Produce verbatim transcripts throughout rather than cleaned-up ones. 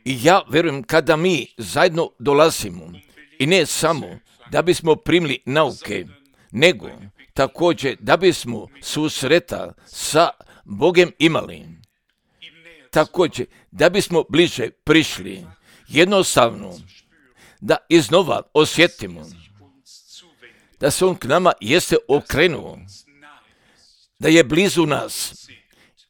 I ja vjerujem kada mi zajedno dolazimo i ne samo da bismo primili nauke, nego također da bismo susreta sa Bogom imali, također da bismo bliže prišli, jednostavno da iznova osjetimo da se on k nama jeste okrenuo, da je blizu nas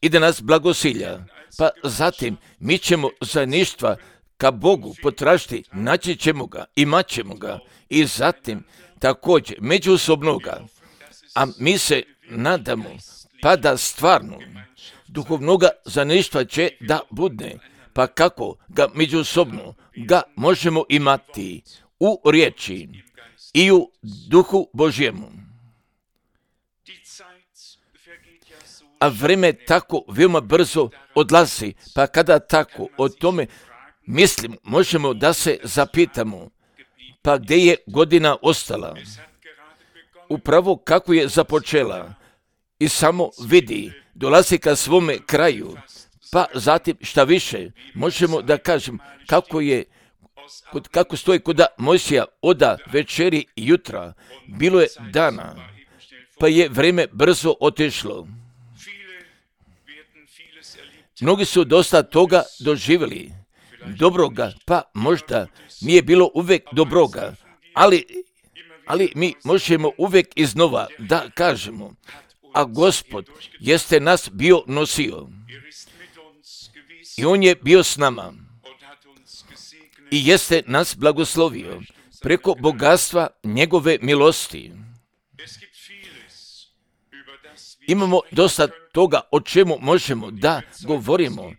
i da nas blagosilja, pa zatim mi ćemo zajedništva ka Bogu potražiti, naći ćemo ga, imat ćemo ga i zatim također međusobnoga, a mi se nadamo pa da stvarno duhovnoga zajedništva će da bude, pa kako ga međusobno ga možemo imati u riječi i u duhu Božjemu. A vrijeme tako veoma brzo odlazi, pa kada tako o tome mislim, možemo da se zapitamo, pa gdje je godina ostala? Upravo kako je započela i samo vidi, dolazi ka svome kraju, pa zatim šta više, možemo da kažem kako je, kako stoji kod Mojsija oda večeri i jutra, bilo je dana, pa je vrijeme brzo otišlo. Mnogi su dosta toga doživjeli, dobroga, pa možda nije bilo uvijek dobroga, ali, ali mi možemo uvijek iznova da kažemo, a Gospod jeste nas bio nosio i On je bio s nama i jeste nas blagoslovio preko bogatstva njegove milosti. Imamo dosta toga o čemu možemo da govorimo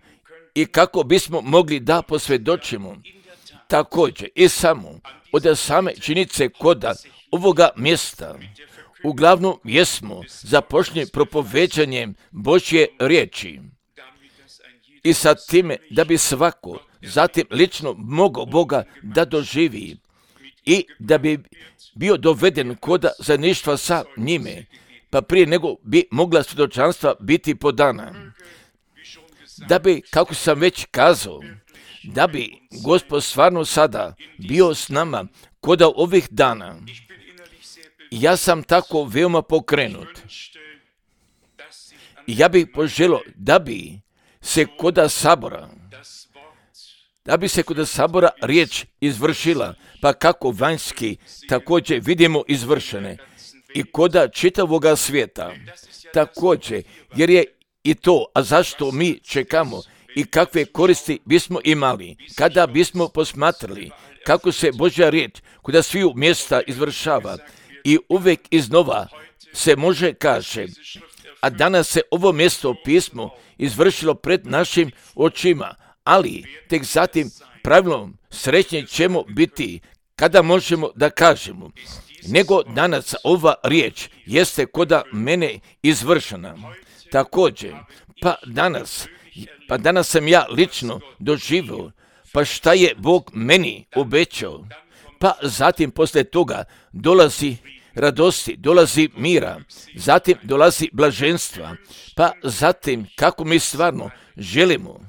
i kako bismo mogli da posvjedočimo. Također i samo od same činjenice koda ovoga mjesta uglavnom jesmo započeli propoveđanjem Božje riječi i sa time da bi svako zatim lično mogao Boga da doživi i da bi bio doveden koda zajedništva sa njime, pa prije nego bi mogla svjedočanstva biti podana. Da bi, kako sam već kazao, da bi Gospod stvarno sada bio s nama koda ovih dana. Ja sam tako veoma pokrenut. Ja bih poželio da bi se koda sabora, da bi se koda sabora riječ izvršila, pa kako vanjski također vidimo izvršene i koda čitavoga svijeta. Također, jer je i to, a zašto mi čekamo i kakve koristi bismo imali kada bismo posmatrali kako se Božja riječ kuda sviju mjesta izvršava i uvijek iznova se može kaže, a danas se ovo mjesto pismo izvršilo pred našim očima, ali tek zatim pravilno srećni ćemo biti kada možemo da kažemo, nego danas ova riječ jeste koda mene izvršena. Također, pa danas, pa danas sam ja lično doživio, pa šta je Bog meni obećao, pa zatim poslije toga dolazi radosti, dolazi mira, zatim dolazi blaženstva, pa zatim kako mi stvarno želimo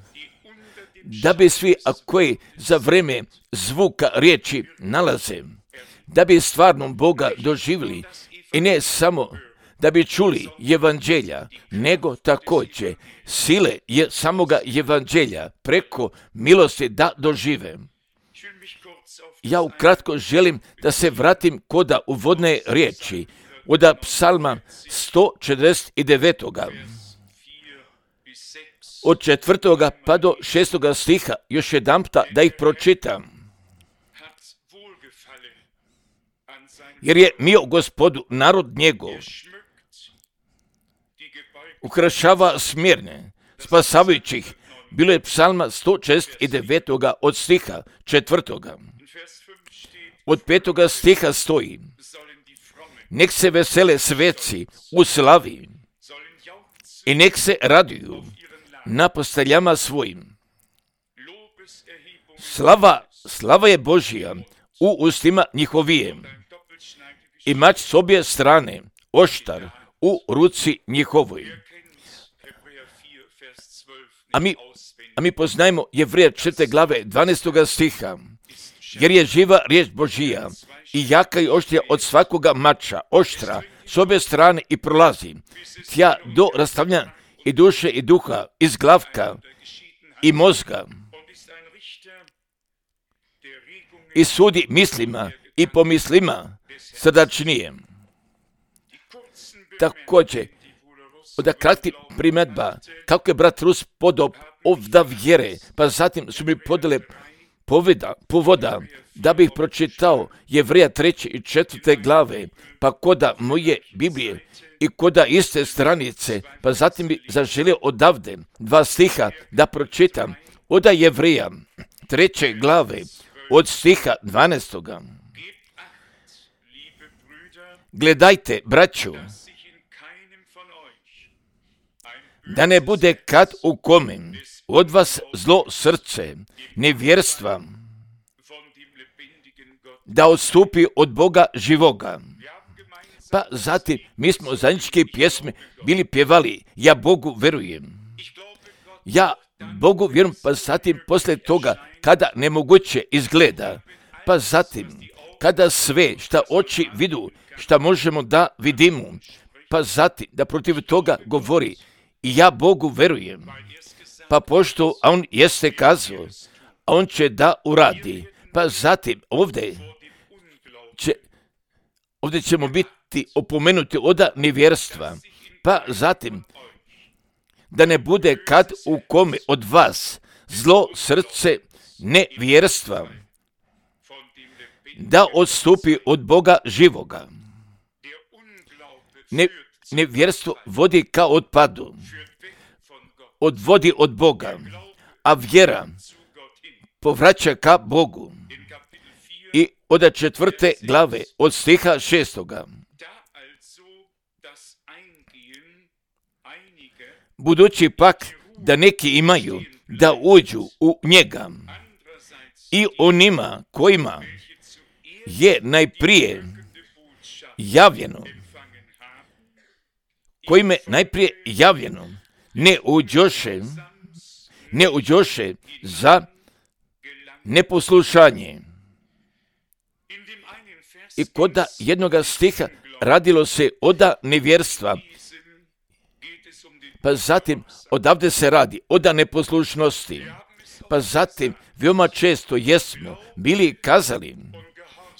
da bi svi koji za vrijeme zvuka riječi nalaze, da bi stvarno Boga doživjeli i ne samo da bi čuli evanđelja, nego također sile je samoga evanđelja preko milosti da dožive. Ja ukratko želim da se vratim koda uvodne riječi, od psalma sto četrdeset devet. Od četvrtoga pa do šestoga stiha još jedanputa da ih pročitam. Jer je mio Gospodu narod njegov, ukrašava smjerne, spasavajućih. Bilo je psalma sto četrdeset devet od stiha četvrtoga. Od petoga stiha stoji: nek se vesele sveci u slavi i nek se raduju na posteljama svojim. Slava, slava je Božija u ustima njihovijem i mač s obje strane, oštar u ruci njihovoj. A mi, a mi poznajemo Jevrija četvrte glave dvanaestoga stiha. Jer je živa riječ Božija i jaka i oštrija od svakoga mača, oštra, s obje strane i prolazi tja do rastavljanja i duše i duha, iz glavka i mozga i sudi mislima i pomislima srdačnije. Također, od kratkih primjedba, kako je brat Rus podao ovda vjere, pa zatim su mi podale poveda, povoda da bih pročitao Jevrija treće i četvrte glave, pa koda moje Biblije i koda iste stranice, pa zatim bi zaželio odavde dva stiha da pročitam od Jevrija treće glave od stiha dvanaestoga. Gledajte, braću, da ne bude kad u kome od vas zlo srce, nevjerstva, da odstupi od Boga živoga. Pa zatim mi smo zajedničke pjesme bili pjevali, ja Bogu verujem. Ja Bogu vjerujem, pa zatim poslije toga kada nemoguće izgleda, pa zatim kada sve šta oči vidu, šta možemo da vidimo, pa zatim da protiv toga govori, i ja Bogu verujem. Pa pošto on jeste kazao, a on će da uradi, pa zatim ovdje, će, ovdje ćemo biti opomenuti od nevjerstva, pa zatim da ne bude kad u kome od vas zlo srce nevjerstva, da odstupi od Boga živoga. Ne, nevjerstvo vodi ka otpadu, odvodi od Boga, a vjera povraća ka Bogu. I od četvrte glave, od stiha šestoga. Budući pak da neki imaju da uđu u njega i onima kojima je najprije javljeno, kojima je najprije javljeno, ne uđoše, ne uđoše za neposlušanje. I kod jednoga stiha radilo se oda nevjerstva, pa zatim odavde se radi oda neposlušnosti, pa zatim veoma često jesmo bili kazali,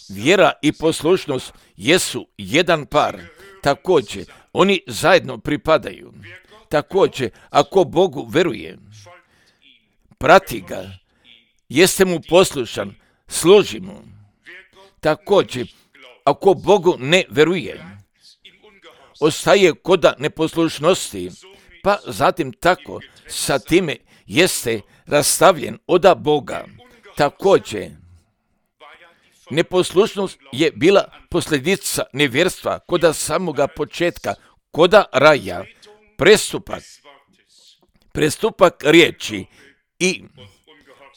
vjera i poslušnost jesu jedan par, također oni zajedno pripadaju. Također, ako Bogu veruje, prati ga, jeste mu poslušan, služi mu. Također, ako Bogu ne veruje, ostaje koda neposlušnosti, pa zatim tako sa time jeste rastavljen oda Boga. Također, neposlušnost je bila posljedica nevjerstva koda samoga početka, koda raja, prestupak, prestupak riječi i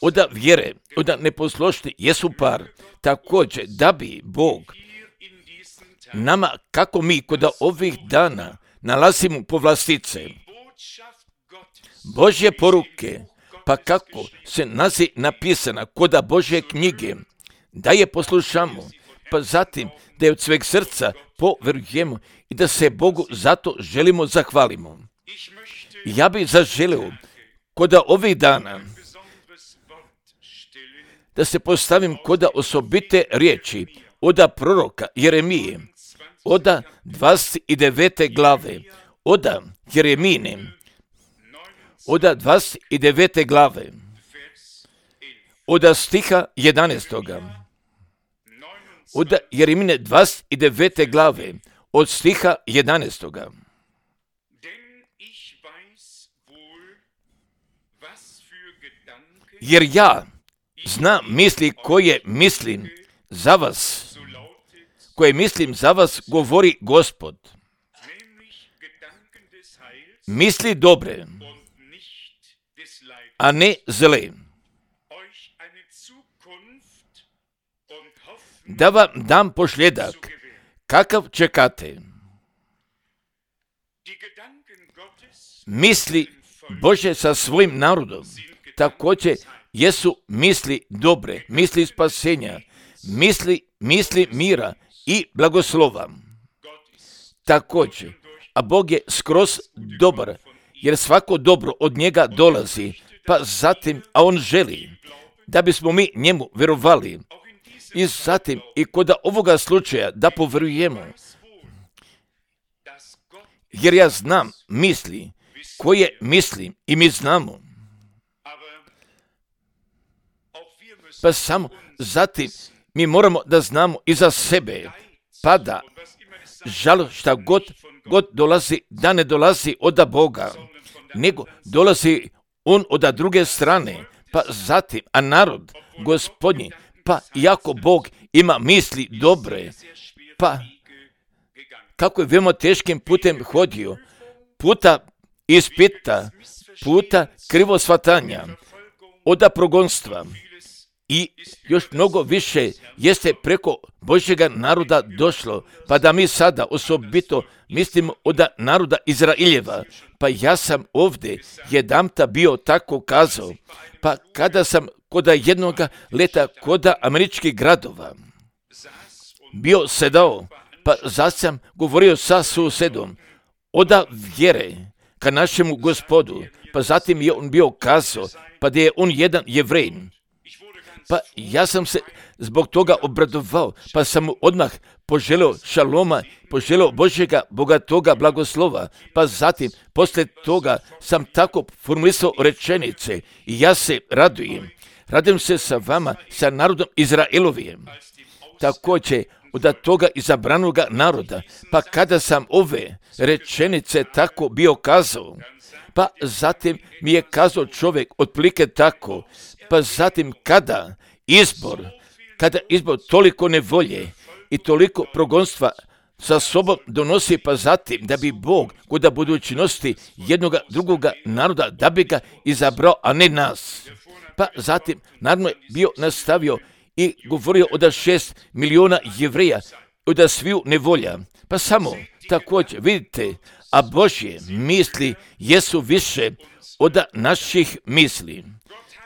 oda vjere, oda neposlušnosti jesu par. Također, da bi Bog nama, kako mi koda ovih dana nalazimo povlastice, Božje poruke, pa kako se nazi napisana koda Božje knjige, da je poslušamo, pa zatim da je od sveg srca poverujemo i da se Bogu zato želimo zahvalimo. Ja bih zaželio koda ovih dana da se postavim koda osobite riječi oda proroka Jeremije, oda dvadeset devete glave, oda Jeremine, oda dvadeset devete glave, oda stiha jedanaestoga, oda Jeremine dvadeset devete glave, od stiha jedanaestoga. Jer ja znam misli koje mislim za vas, koje mislim za vas, govori Gospod. Misli dobre, a ne zle, da vam dam pošljedak, kakav čekate. Misli Bože sa svojim narodom također jesu misli dobre, misli spasenja, misli, misli mira i blagoslova. Također, a Bog je skroz dobar, jer svako dobro od njega dolazi, pa zatim, a on želi da bismo mi njemu vjerovali. I zatim, i kod ovoga slučaja da povjerujemo, jer ja znam misli koje mislim i mi znamo. Pa samo zatim mi moramo da znamo i za sebe, pa da žal šta god, god dolazi, da ne dolazi od Boga, nego dolazi on od druge strane, pa zatim, a narod Gospodnji, pa iako Bog ima misli dobre, pa kako je veoma teškim putem hodio, puta ispita, puta krivo shvatanja, od progonstva i još mnogo više jeste preko Božjega naroda došlo, pa da mi sada osobito mislimo od naroda Izraeljeva. Pa ja sam ovdje jedanputa bio tako kazao, pa kada sam kod jednoga leta kod američkih gradova bio sedao, pa zato sam govorio sa susedom od vjere ka našemu Gospodu, pa zatim je on bio kazao, pa da je on jedan Jevrejin. Pa ja sam se zbog toga obradovao, pa sam mu odmah poželio šaloma, poželio Božjega bogatoga blagoslova, pa zatim poslije toga sam tako formulisao rečenice i ja se radujem. Radujem se sa vama, sa narodom Izraelovijem. Također od toga izabranoga naroda, pa kada sam ove rečenice tako bio kazao, pa zatim mi je kazao čovjek otprilike tako, pa zatim kada izbor, kada izbor toliko nevolje i toliko progonstva sa sobom donosi, pa zatim da bi Bog kod budućnosti jednoga drugoga naroda, da bi ga izabrao, a ne nas. Pa zatim, naravno je bio nastavio i govorio od šest miliona Jevreja, od sviju nevolja. Pa samo, također, vidite, a Božje misli jesu više od naših misli.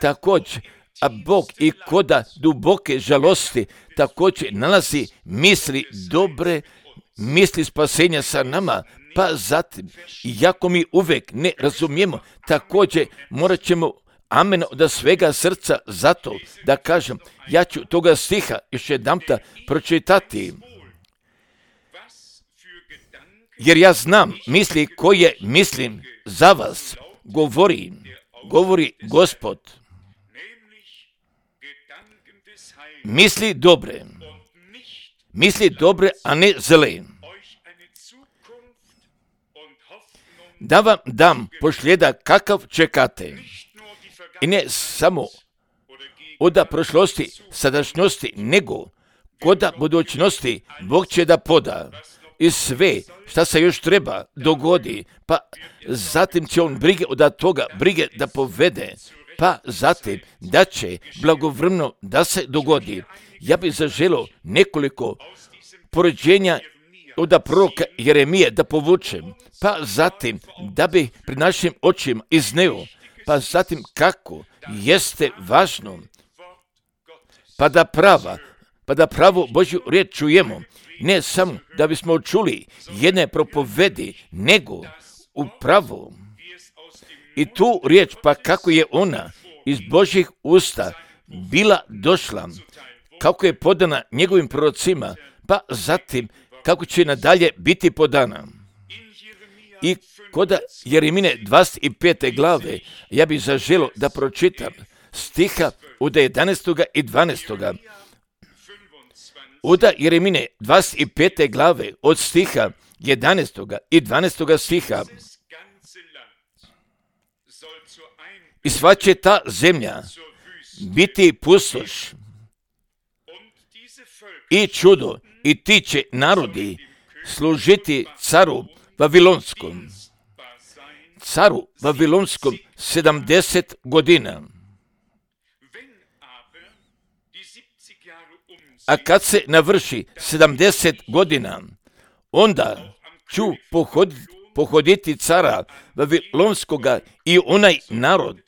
Također, a Bog i koda duboke žalosti također nalazi misli dobre, misli spasenja sa nama, pa zatim, iako mi uvijek ne razumijemo, također morat ćemo amen od svega srca zato da kažem, ja ću toga stiha još jedanputa pročitati. Jer ja znam misli koje mislim za vas, govori, govori Gospod. Misli dobre, misli dobre, a ne zle. Da vam dam pošljeda kakav čekate. I ne samo od prošlosti, sadašnjosti, nego kod budućnosti Bog će da poda i sve šta se još treba dogodi, pa zatim će on brige od toga, brige da povede, pa zatim da će blagovremeno da se dogodi. Ja bih zaželio nekoliko poređenja od proroka Jeremije da povučem, pa zatim da bi pred našim očima izneo, pa zatim kako jeste važno, pa da prava, pa da pravu Božju riječ čujemo, ne samo da bismo čuli jedne propovedi, nego upravo i tu riječ, pa kako je ona iz Božjih usta bila došla, kako je podana njegovim prorocima, pa zatim kako će nadalje biti podana. I kod Jeremine dvadeset pete glave, ja bih zaželio da pročitam stiha od jedanaestog i dvanaestog Od Jeremine dvadeset pete glave, od stiha jedanaestog i dvanaestog stiha. I sva će ta zemlja biti pustoš i čudo, i ti će narodi služiti caru Vavilonskom. Caru Vavilonskom sedamdeset godina. A kad se navrši sedamdeset godina, onda ću pohoditi pohoditi cara Vavilonskoga i onaj narod,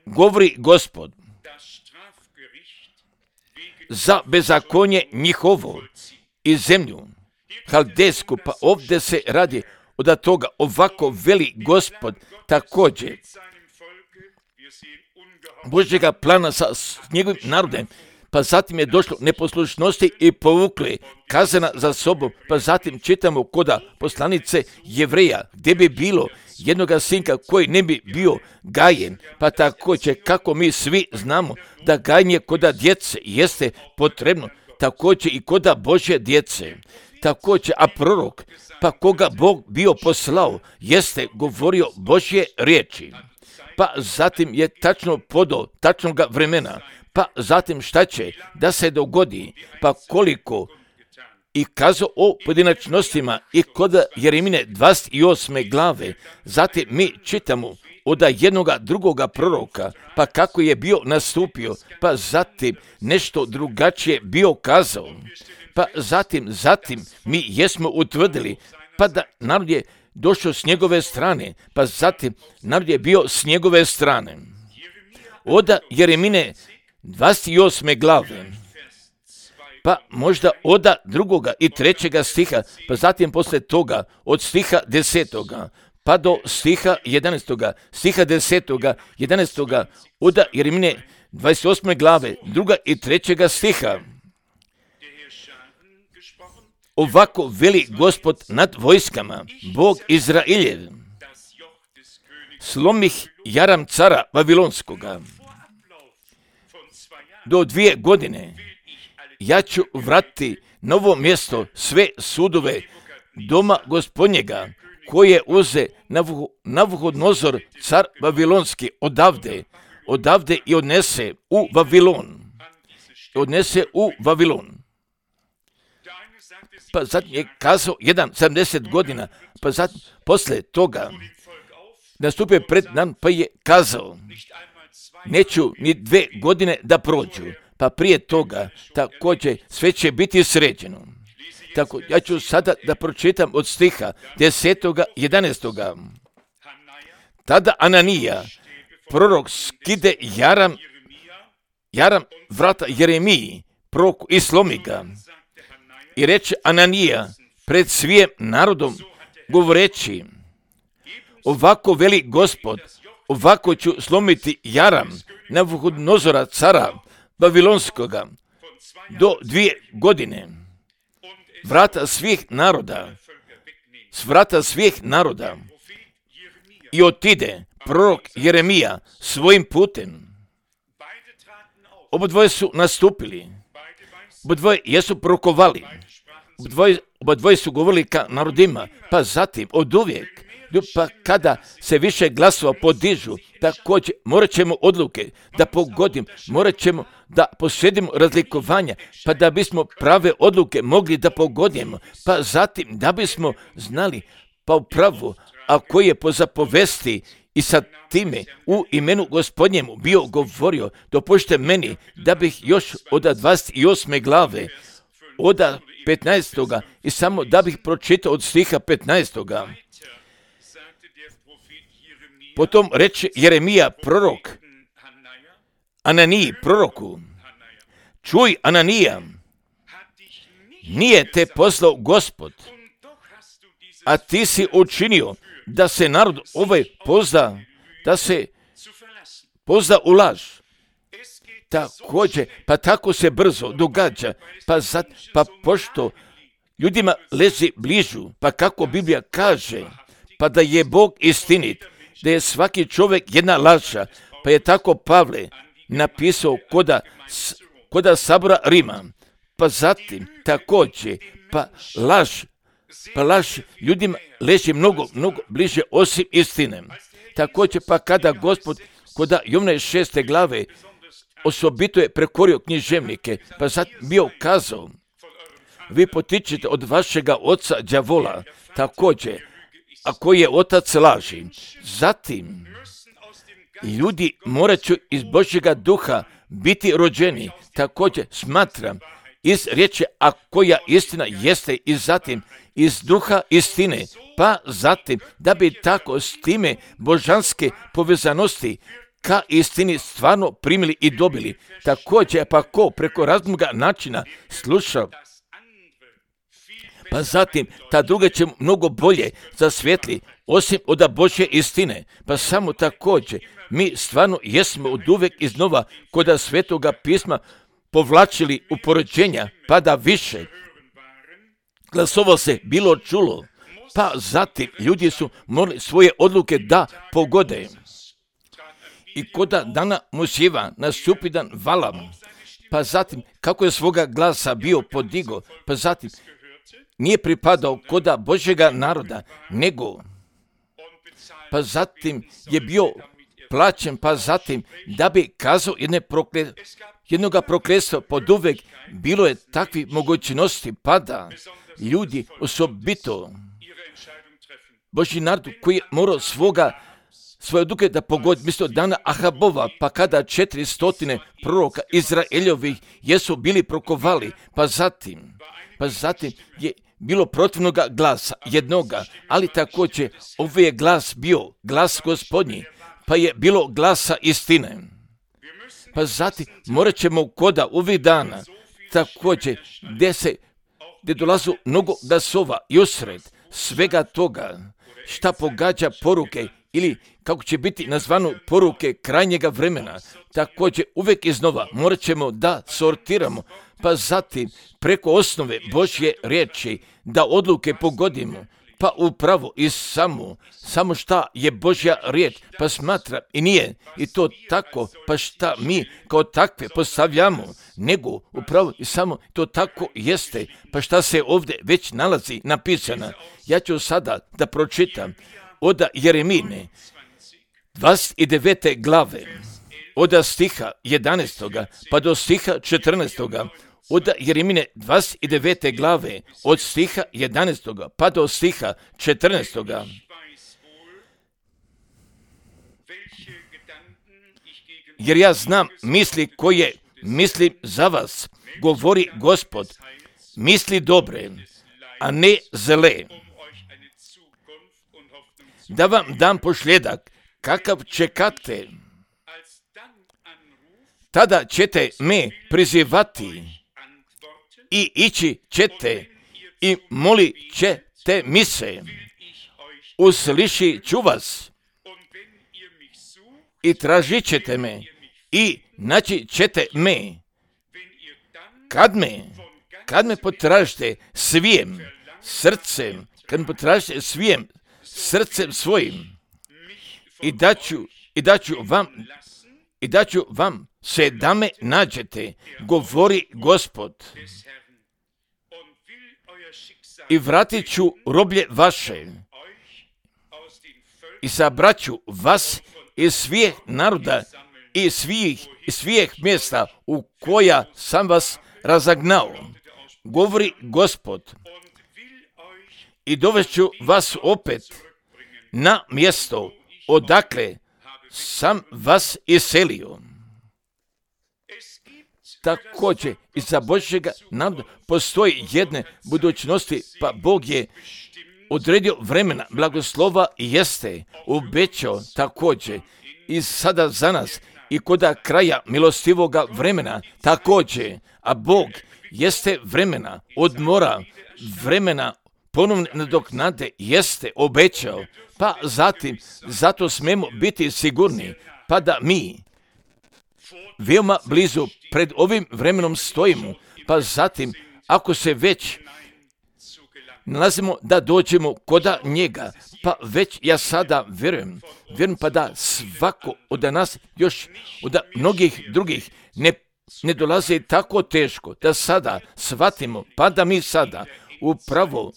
govori Gospod, za bezakonje njihovo i zemlju Haldejsku, pa ovdje se radi od toga, ovako veli Gospod također Božjega plana sa njegovim narodem, pa zatim je došlo neposlušnosti i povukli kazana za sobom, pa zatim čitamo koda poslanice Jevreja, gdje bi bilo jednoga sinka koji ne bi bio gajen, pa također kako mi svi znamo da gajenje koda djece jeste potrebno, također i koda Božje djece. Također, a prorok, pa koga Bog bio poslao, jeste govorio Božje riječi. Pa zatim je tačno podo tačnoga vremena, pa zatim šta će da se dogodi, pa koliko i kazao o pojedinačnostima i kod Jeremine dvadeset osme glave. Zatim mi čitamo od jednoga drugoga proroka, pa kako je bio nastupio, pa zatim nešto drugačije bio kazao. Pa zatim, zatim mi jesmo utvrdili, pa da narod je došao s njegove strane, pa zatim narod je bio s njegove strane. Od Jeremine dvadeset osme glave, pa možda od drugoga i trećega stiha, pa zatim posle toga od stiha desetoga, pa do stiha jedanaestoga, stiha desetoga, jedanaestoga, od Jeremine dvadeset osme glave, druga i trećega stiha. Ovako veli Gospod nad vojskama, Bog Izraeljev, slomih jaram cara Vavilonskoga. Do dvije godine ja ću vratiti na ovo mjesto sve sudove doma Gospodnjega, koje uze Navuhodnozor car Vavilonski odavde, odavde i odnese u Vavilon. Odnese u Vavilon. Pa zatim je kazao jedan sedamdeset godina, pa zatim posle toga nastupio pred nam, pa je kazao, neću ni dve godine da prođu, pa prije toga također sve će biti sređeno. Tako, ja ću sada da pročitam od stiha desetoga, jedanaestoga. Tada Ananija, prorok, skide jaram, jaram vrata Jeremiji, proroku, i slomi ga. I reče Ananija pred svijem narodom, govoreći, ovako veli Gospod, ovako ću slomiti jaram Navuhodnozora cara Vavilonskoga do dvije godine. Vrata svih naroda, s vrata svih naroda. I otide prorok Jeremija svojim putem. Obodvoje su nastupili, obodvoje jesu prorokovali, obodvoje, obodvoje su govorili ka narodima, pa zatim od uvijek, pa kada se više glasova podižu, također morat ćemo odluke da pogodim, morat ćemo da posjedimo razlikovanja, pa da bismo prave odluke mogli da pogodimo, pa zatim da bismo znali pa upravo, a koji je po zapovesti i sa time u imenu Gospodnjemu bio govorio, dopušte meni da bih još od dvadeset osme glave, od petnaestoga i samo da bih pročitao od stiha petnaestoga. Potom reče Jeremija prorok Ananiji proroku, čuj Ananija, nije te poslao Gospod, a ti si učinio da se narod ovaj pozda, da se pozda u laž. Također, pa tako se brzo događa, pa, zat, pa pošto ljudima lezi bližu, pa kako Biblija kaže, pa da je Bog istinit, da je svaki čovjek jedna laža, pa je tako Pavle napisao koda, koda sabora Rima, pa zatim također, pa laž, pa laž ljudima leži mnogo, mnogo bliže osim istine. Također, pa kada Gospod koda Jovne šeste glave osobito je prekorio književnike, pa sad bio kazao, vi potičete od vašega oca đavola, također, a koji je otac laži. Zatim, ljudi morat će iz Božjega duha biti rođeni. Također, smatram iz riječi, a koja istina jeste, i zatim iz duha istine, pa zatim da bi tako s time božanske povezanosti ka istini stvarno primili i dobili. Također, pa ko preko raznoga načina sluša, pa zatim ta druga će mnogo bolje zasvijetli, osim od Božje istine. Pa samo također, mi stvarno jesmo od uvek iznova kod Svetoga pisma povlačili u poređenja, pa da više glasova se bilo čulo, pa zatim ljudi su morali svoje odluke da pogode. I koda dana Mojsijeva nastupidan valam, pa zatim kako je svoga glasa bio podigo, pa zatim nije pripadao koda Božjega naroda, nego pa zatim je bio plaćen, pa zatim da bi kazao jedne prokle, jednoga prokletstva pod uvek, bilo je takvi mogućnosti, pa da ljudi osobito Božji narod koji je morao svoga svoje odluke da pogodi, misto dana Ahabova, pa kada četiri stotine proroka Izraeljovih jesu bili prokovali, pa zatim, pa zatim je bilo protivnoga glasa jednoga, ali također ovaj je glas bio glas Gospodnji, pa je bilo glasa istine. Pa zatim morat ćemo koda ovih dana također gdje se gdje dolazu mnogo glasova i usred svega toga šta pogađa poruke ili kako će biti nazvano poruke krajnjega vremena, također uvijek iznova morat ćemo da sortiramo, pa zatim preko osnove Božje riječi da odluke pogodimo, pa upravo i samo, samo šta je Božja riječ, pa smatra i nije i to tako, pa šta mi kao takve postavljamo, nego upravo i samo to tako jeste, pa šta se ovdje već nalazi napisano. Ja ću sada da pročitam od Jeremine dvadeset devete glave, od stiha jedanaestog pa do stiha četrnaestog. Od Jeremine dvadeset devete glave, od stiha jedanaestog pa do stiha četrnaestog. Jer ja znam misli koje mislim za vas, govori Gospod, misli dobre, a ne zle, da vam dam pošljedak kakav čekate. Tada ćete me prizivati i ići ćete i molit ćete mi se, uslišit ću vas i tražit ćete me i naći ćete me. Kad me, kad me potražite svijim srcem, kad me potražite svijim srcem svojim i daću, i daću vam, i daću vam se da me nađete, govori Gospod. I vratit ću roblje vaše i sabraću vas iz svih naroda i svih, iz svih mjesta u koja sam vas razagnao, govori Gospod. I dovešću vas opet na mjesto odakle sam vas iselio. Također i za Božjega naroda postoji jedne budućnosti, pa Bog je odredio vremena blagoslova i jeste obećao također i sada za nas i koda kraja milostivoga vremena također, a Bog jeste vremena odmora, vremena ponovne nadoknade jeste obećao, pa zatim zato smemo biti sigurni, pa da mi veoma blizu pred ovim vremenom stojimo, pa zatim ako se već nalazimo da dođemo koda njega, pa već ja sada vjerujem, vjerujem pa da svako od nas još od mnogih drugih ne, ne dolazi tako teško, da sada shvatimo, pa da mi sada upravo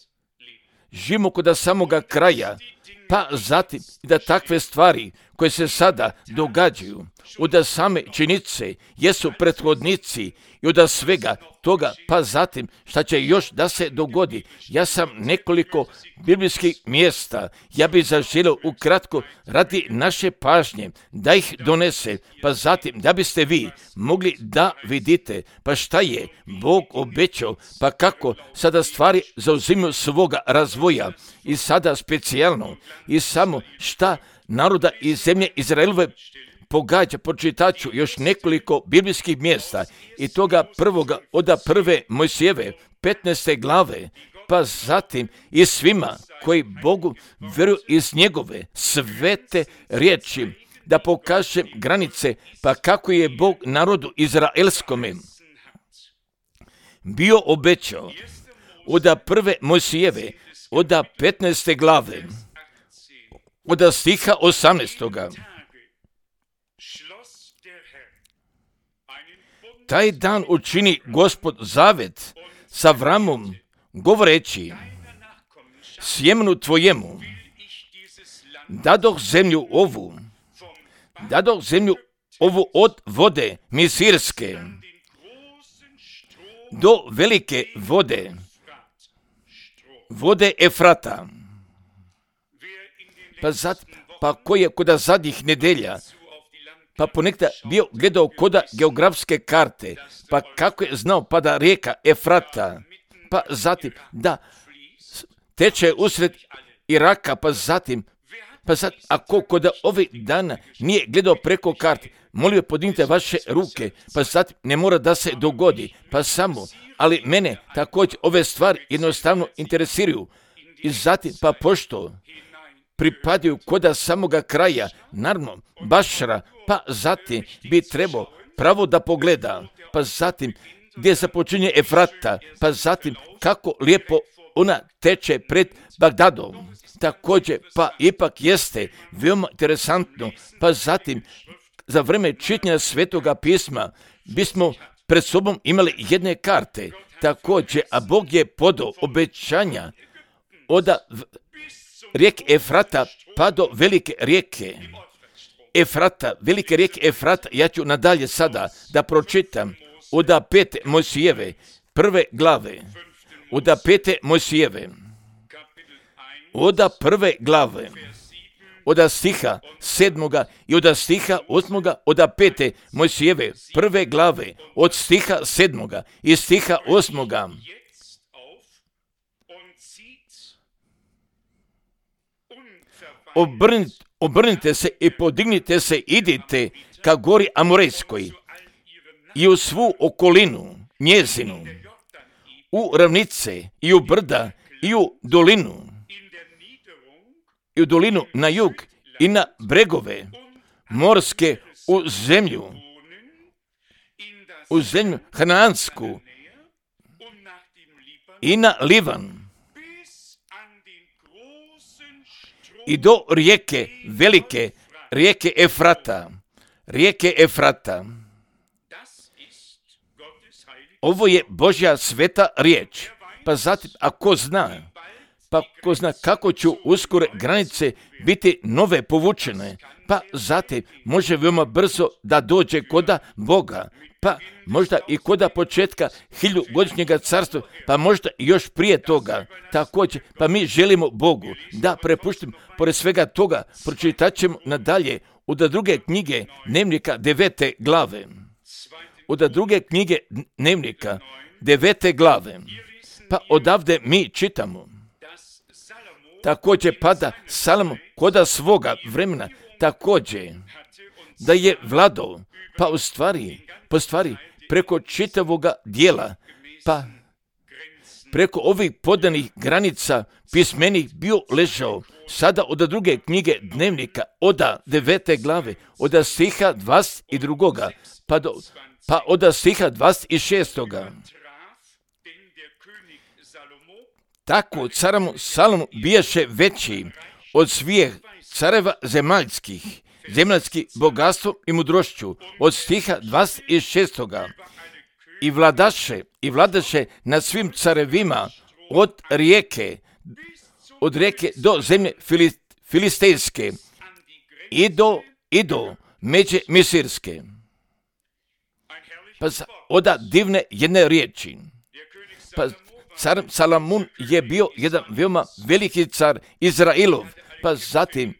živimo kod samoga kraja, pa zatim da takve stvari koje se sada događaju, od same činjenice jesu prethodnici i od svega toga, pa zatim šta će još da se dogodi. Ja sam nekoliko biblijskih mjesta, ja bih zaželio ukratko radi naše pažnje da ih donese, pa zatim da biste vi mogli da vidite pa šta je Bog obećao, pa kako sada stvari zauzimaju svoga razvoja i sada specijalno i samo šta naroda i zemlje Izraelove pogađa. Pročitat ću još nekoliko biblijskih mjesta i toga prvoga od prve Mojsijeve petnaeste glave, pa zatim i svima koji Bogu vjeruju iz njegove svete riječi, da pokaže granice, pa kako je Bog narodu izraelskome bio obećao od prve Mojsijeve od petnaeste glave, od stiha osamnaestoga. Taj dan učini Gospod zavet sa Avramom, govoreći, sjemenu tvojemu dadoh zemlju ovu, dadoh zemlju ovu od vode Misirske do velike vode, vode Efrata. Pa, zat, pa ko je kod zadnjih nedelja, pa ponekada bio gledao koda geografske karte, pa kako je znao pa da rijeka Efrata, pa zatim da teče usred Iraka, pa zatim, pa zatim, ako kod ovih dana nije gledao preko karte, molio podignite vaše ruke, pa zatim ne mora da se dogodi, pa samo, ali mene također ove stvari jednostavno interesiraju i zatim, pa pošto pripadaju koda samoga kraja, naravno, Bašara, pa zatim bi trebao pravo da pogleda, pa zatim gdje se počinje Efrata, pa zatim kako lijepo ona teče pred Bagdadom. Također, pa ipak jeste veoma interesantno, pa zatim za vreme čitanja Svetoga pisma bismo pred sobom imali jedne karte, također, a Bog je podao obećanja od rijeke Efrata pa do velike rijeke Efrata, velike rijeke Efrata. Ja ću nadalje sada da pročitam od pete Mojsijeve prve glave, od pete Mojsijeve, od prve glave, od stiha sedmoga i od stiha osmoga, od pete Mojsijeve prve glave, od stiha sedmoga i stiha osmoga. Obrnite, obrnite se i podignite se, idite ka gori Amorejskoj i u svu okolinu njezinu, u ravnice i u brda i u dolinu, i u dolinu na jug i na bregove morske, u zemlju, u zemlju Hanaansku i na Livan i do rijeke, velike rijeke Efrata, rijeke Efrata. Ovo je Božja sveta riječ. Pa zatim, ako zna, pa ko zna kako ću uskoro granice biti nove povučene, pa zatim može veoma brzo da dođe koda Boga, pa možda i koda početka hiljugodišnjega carstva, pa možda i još prije toga. Također, pa mi želimo Bogu da prepuštimo, pored svega toga, pročitat ćemo nadalje od druge knjige Dnevnika devete glave. Od druge knjige Dnevnika devete glave. Pa odavde mi čitamo. Također pada Salomo koda svoga vremena, također da je vladao, pa u stvari, po stvari preko čitavoga dijela, pa preko ovih podanih granica pismenih bio ležao. Sada od druge knjige Dnevnika, od devete glave, od stiha dvadeset dva, pa, do, pa od stiha dvadeset šest. Tako carom Salomu bijaše veći od svih careva zemaljskih, zemaljskih bogatstvom i mudrošću, od stiha dvadeset šest. I vladaše, i vladaše nad svim carevima od rijeke, od rijeke do zemlje filistejske ido, ido, međe misirske. Pa oda divne jedne riječi. Pa car Salamun je bio jedan veoma veliki car Izrailov, pa zatim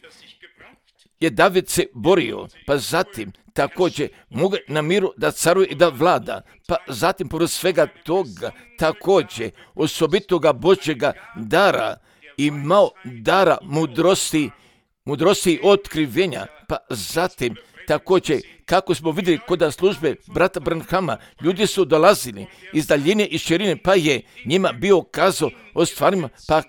je David se borio, pa zatim također mogu na miru da caruje i da vlada, pa zatim pored svega toga također osobitoga Božjega dara imao dara mudrosti, mudrosti i otkrivenja, pa zatim također kako smo vidjeli kod službe brata Branhama, ljudi su dolazili iz daljine i širine, pa je njima bio kazao o stvarima pa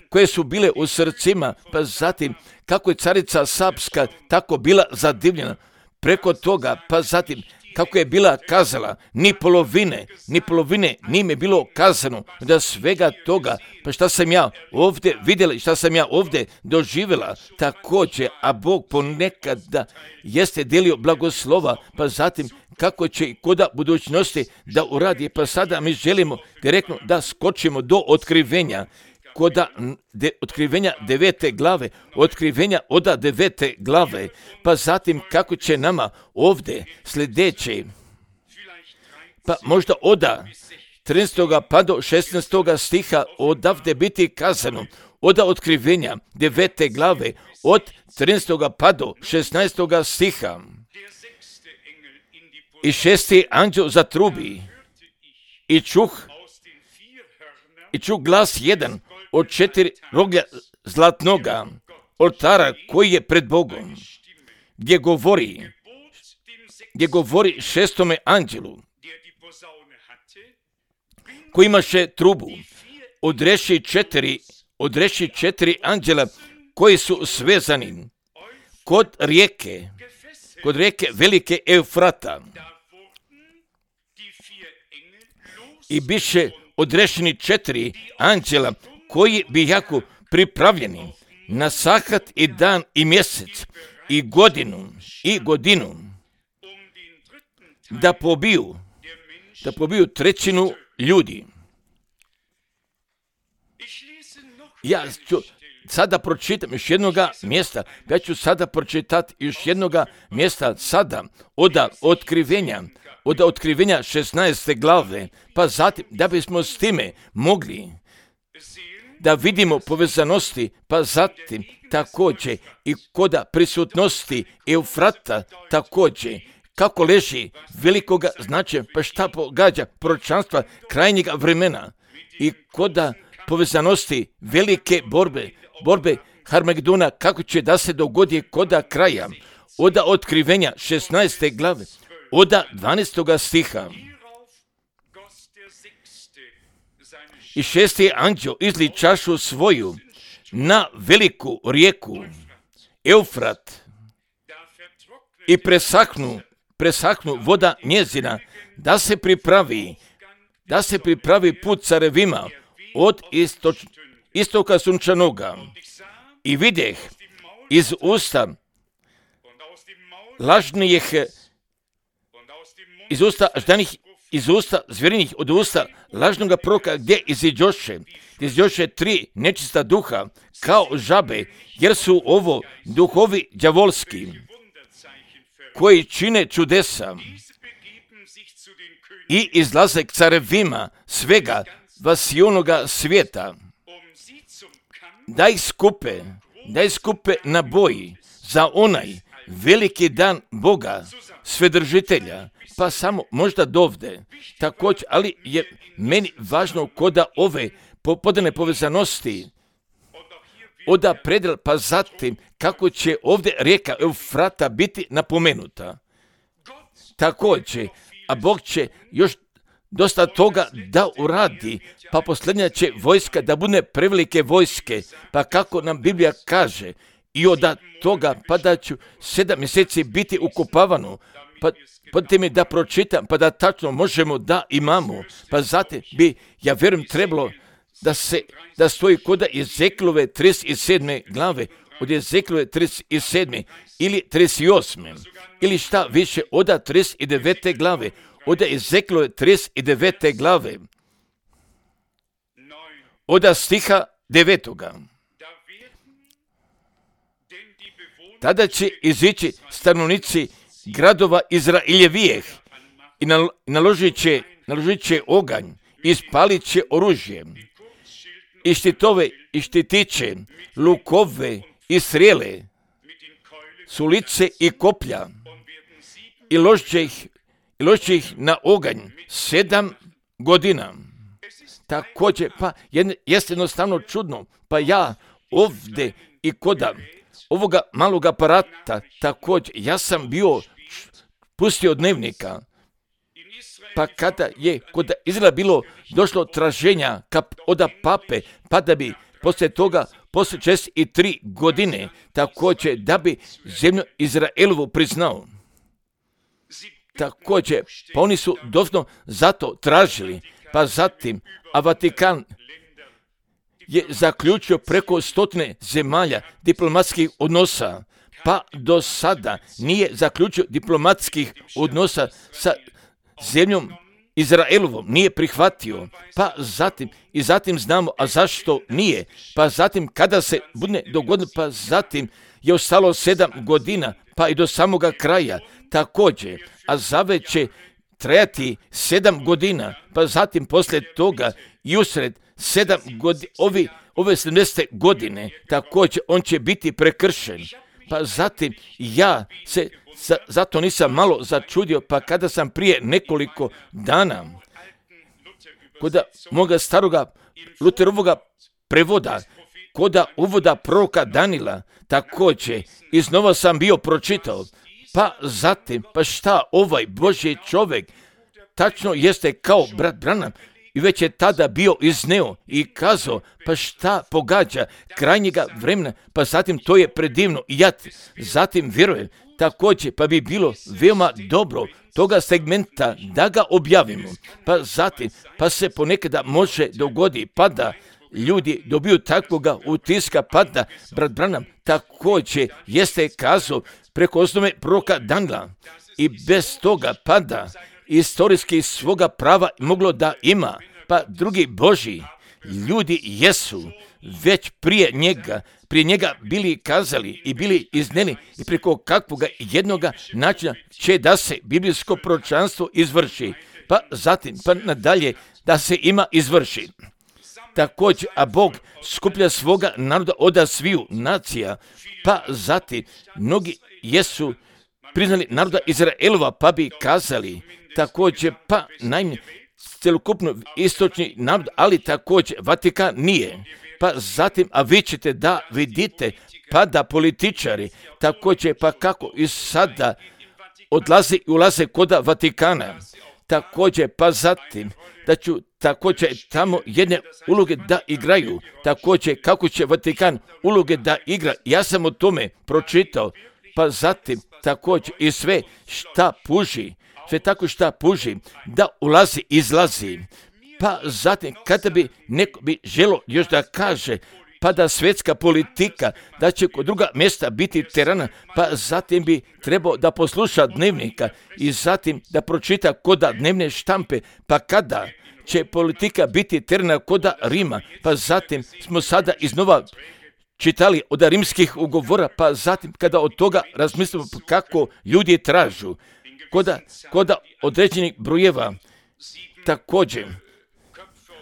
koje su bile u srcima, pa zatim kako je carica Sapska tako bila zadivljena preko toga, pa zatim kako je bila kazala, ni polovine, ni polovine nije bilo kazano da svega toga, pa šta sam ja ovdje vidjela, šta sam ja ovdje doživjela također, a Bog ponekada jeste delio blagoslova, pa zatim kako će i koda budućnosti da uradi, pa sada mi želimo direktno da skočimo do otkrivenja, koda de, otkrivenja devete glave, otkrivenja oda devete glave, pa zatim kako će nama ovdje sljedeće, pa možda oda trinaestog pa do šesnaestog stiha odavde biti kazano, oda otkrivenja devete glave od trinaestog pa do šesnaestog stiha. I šesti anđeo zatrubi i čuh, i čuh glas jedan od četiri roglja zlatnoga oltara koji je pred Bogom, gdje govori, gdje govori šestome anđelu, koji imaše trubu, odreši četiri, odreši četiri anđela koji su svezani kod rijeke, kod rijeke velike Eufrata. I biše odrešeni četiri anđela koji bi jako pripravljeni na sahat i dan i mjesec i godinu i godinu da pobiju, da pobiju trećinu ljudi. Ja ću sada pročitam još jednoga mjesta, ja ću sada pročitati još jednoga mjesta sada od otkrivenja, od otkrivenja šesnaeste glave, pa zatim da bismo s time mogli da vidimo povezanosti, pa zatim također i koda prisutnosti Eufrata također, kako leži velikoga značaja, pa šta pogađa proročanstva krajnjega vremena i koda povezanosti velike borbe, borbe Harmagedona, kako će da se dogodi koda kraja, oda otkrivenja šesnaeste glave, oda dvanaestog stiha. I šesti anđeo izli čašu svoju na veliku rijeku Eufrat i presahnu, presahnu voda njezina, da se pripravi, da se pripravi put carevima od istoč, istoka sunčanoga. I vidjeh iz usta lažnijih, iz usta ždanih, iz usta zvjerinih, od usta lažnoga proroka, gdje iziđoše, iziđoše tri nečista duha, kao žabe, jer su ovo duhovi đavolski, koji čine čudesa i izlaze k carevima svega vasionoga svijeta, da ih skupe, da ih skupe na boji za onaj veliki dan Boga, Svedržitelja, pa samo možda dovde, također, ali je meni važno koda ove podane povezanosti, oda predel, pa zatim kako će ovdje rijeka Eufrata biti napomenuta. Također, a Bog će još dosta toga da uradi, pa posljednja će vojska da bude prevelike vojske, pa kako nam Biblija kaže, i od toga pa da ću sedam mjeseci biti ukopavano, pa podite mi da pročitam, pa da tačno možemo da imamo, pa zatim bi, ja vjerujem, trebalo da se, da stoji koda Ezekilove trideset sedme glave, od Ezekilove trideset sedme ili trideset osme, ili šta više, od trideset devete glave, od Ezekilove trideset devete glave, od stiha devetoga. tada će izići stanovnici gradova Izraeljevijeh i naložit će, naložit će oganj i spalit će oružje i štitove i štitiće, lukove i strijele, sulice i koplja i ložit će ih, i ložit će ih na oganj sedam godina. Također, pa jeste jednostavno čudno, pa ja ovdje i koda ovoga malog aparata, također, ja sam bio pustio dnevnika, pa kada je kod Izraela bilo došlo traženja kap, od pape, pa da bi poslije toga, poslije šezdeset tri godine, također da bi zemlju Izraelovu priznao. Također, pa oni su doslovno zato tražili, pa zatim, a Vatikan je zaključio preko stotine zemalja diplomatskih odnosa, pa do sada nije zaključio diplomatskih odnosa sa zemljom Izraelovom, nije prihvatio, pa zatim, i zatim znamo, a zašto nije, pa zatim kada se bude dogodilo, pa zatim je ostalo sedam godina, pa i do samoga kraja, također, a zaveć će trajati sedam godina, pa zatim poslije toga i usred sedam godina, ovi, ove sedamdesete godine, također on će biti prekršen. Pa zatim ja se za, zato nisam malo začudio, pa kada sam prije nekoliko dana kod moga staroga Luterovoga prevoda, kod uvoda proroka Danila, također iznova sam bio pročitao, pa zatim, pa šta ovaj Božji čovjek tačno jeste kao brat Branham, i već je tada bio izneo i kazao, pa šta pogađa krajnjega vremena, pa zatim to je predivno i ja zatim vjerujem također, pa bi bilo veoma dobro toga segmenta da ga objavimo, pa zatim, pa se ponekada može dogodi, pa da ljudi dobiju takvoga utiska, pa da brat Branham također jeste kazao preko osnove proroka Danila i bez toga, pa da istorijski svoga prava moglo da ima, pa drugi Božji ljudi jesu već prije njega, prije njega bili kazali i bili izneni i preko kakvoga jednoga načina će da se biblijsko proročanstvo izvrši, pa zatim, pa nadalje da se ima izvrši. Također, a Bog skuplja svoga naroda od sviju nacija, pa zatim mnogi jesu priznali naroda Izraelova, pa bi kazali također, pa najmanje celokupno istočni narod, ali također Vatikan nije. Pa zatim, a vi ćete da vidite, pa da političari također, pa kako i sada odlaze i ulaze kod Vatikana, također, pa zatim da ću također tamo jedne uloge da igraju, također kako će Vatikan uloge da igra, ja sam o tome pročitao, pa zatim također i sve šta puži, sve tako šta puži, da ulazi, izlazi. Pa zatim, kada bi neko bi želo još da kaže, pa da svjetska politika, da će kod druga mjesta biti terana, pa zatim bi trebao da posluša dnevnika i zatim da pročita koda dnevne štampe, pa kada će politika biti terana koda Rima, pa zatim smo sada iznova čitali od rimskih ugovora, pa zatim kada od toga razmislimo kako ljudi tražu, koda, koda određenih brojeva, također,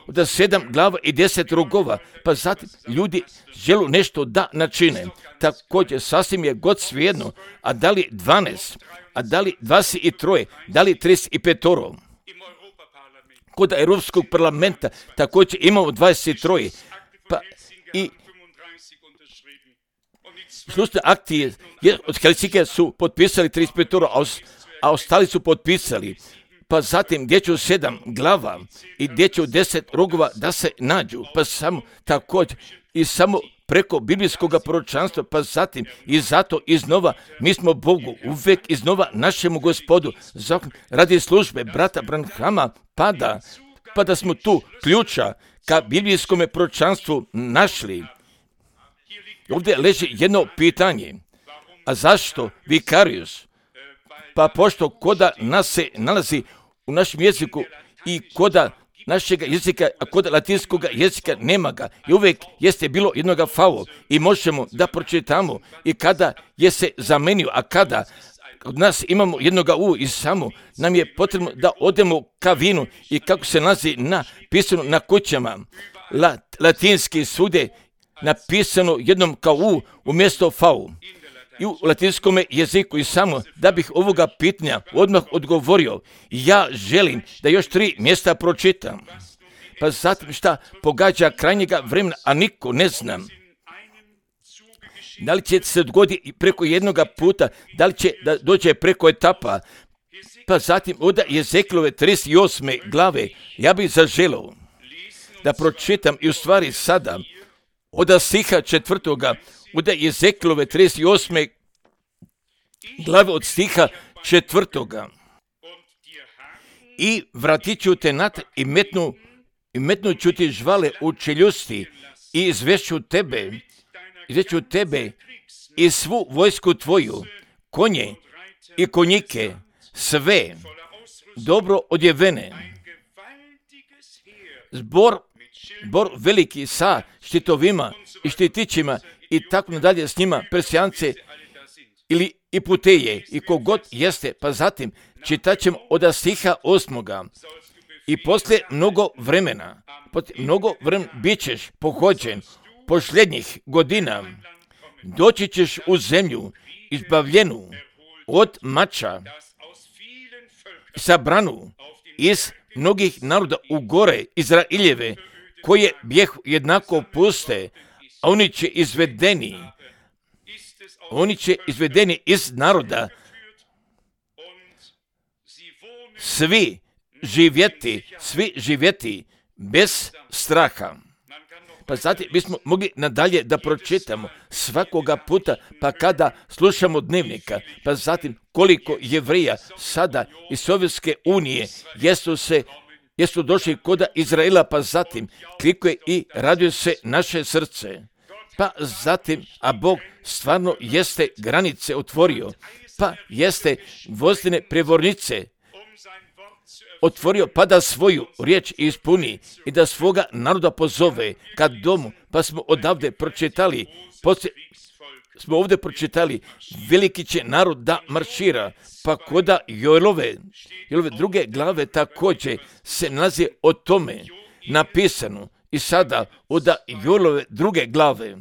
od sedam glava i deset rogova, pa zatim ljudi želu nešto da načine. Također, sasvim je god svejedno, a da li dvanaest, a da li dvadeset tri, da li trideset pet. Kod Europskog parlamenta također imamo dvadeset tri, pa i slušne akcije od Helsinkija su potpisali trideset pet, a ostali su potpisali. Pa zatim gdje će u sedam glava i gdje će u deset rogova da se nađu, pa samo također i samo preko biblijskog proročanstva, pa zatim i zato iznova mi smo Bogu uvijek iznova našemu Gospodu radi službe brata Branhama, pa da, pa da smo tu ključa ka biblijskom proročanstvu našli. Ovdje leži jedno pitanje, a zašto Vicarius? Pa pošto koda nas se nalazi u našem jeziku i koda našega jezika, a kod latinskog jezika nema ga. I uvijek jeste bilo jednoga fao i možemo da pročitamo i kada je se zamenio, a kada kod nas imamo jednoga u i samo nam je potrebno da odemo ka vinu i kako se nalazi napisano na kućama. Lat, latinski sude napisano jednom kao u umjesto fau. I u latinskom jeziku i samo da bih ovoga pitanja odmah odgovorio, ja želim da još tri mjesta pročitam. Pa zatim šta pogađa krajnjega vremena, a niko ne znam. Da li će se dogoditi preko jednoga puta, da li će da dođe preko etapa. Pa zatim od Jezekielove trideset osme glave ja bih zaželio da pročitam i u stvari sada od stiha četvrtoga, od Jezekielove trideset osme glave od stiha četvrtoga. I vratit ću te nat i metnu, i metnut ću ti žvale u čeljusti i izvešću tebe, izvešću tebe i svu vojsku tvoju, konje i konjike, sve dobro odjevene. Zbor, zbor veliki sa štitovima i štitićima i tako nadalje s njima, persijance ili i puteje i kogod jeste, pa zatim čitat ćemo od stiha osmoga. I poslije mnogo vremena, poslije mnogo vremena bit ćeš pohođen posljednjih godina, doći ćeš u zemlju izbavljenu od mača, sabranu iz mnogih naroda u gore Izraeljeve, koje bjehu jednako puste, a oni će izvedeni, oni će izvedeni iz naroda, svi živjeti, svi živjeti bez straha. Pa zatim bismo mogli nadalje da pročitamo svakoga puta, pa kada slušamo dnevnika, pa zatim koliko Jevreja sada iz Sovjetske unije jesu se jesu došli kod Izraela, pa zatim klikuje i raduje se naše srce. Pa zatim, a Bog stvarno jeste granice otvorio, pa jeste vozdene prevornice otvorio, pa da svoju riječ ispuni i da svoga naroda pozove kad domu, pa smo odavde pročitali, poslije smo ovdje pročitali, veliki će narod da maršira, pa koda Joelove, Joelove druge glave također se nalazi o tome napisano i sada od Joelove druge glave,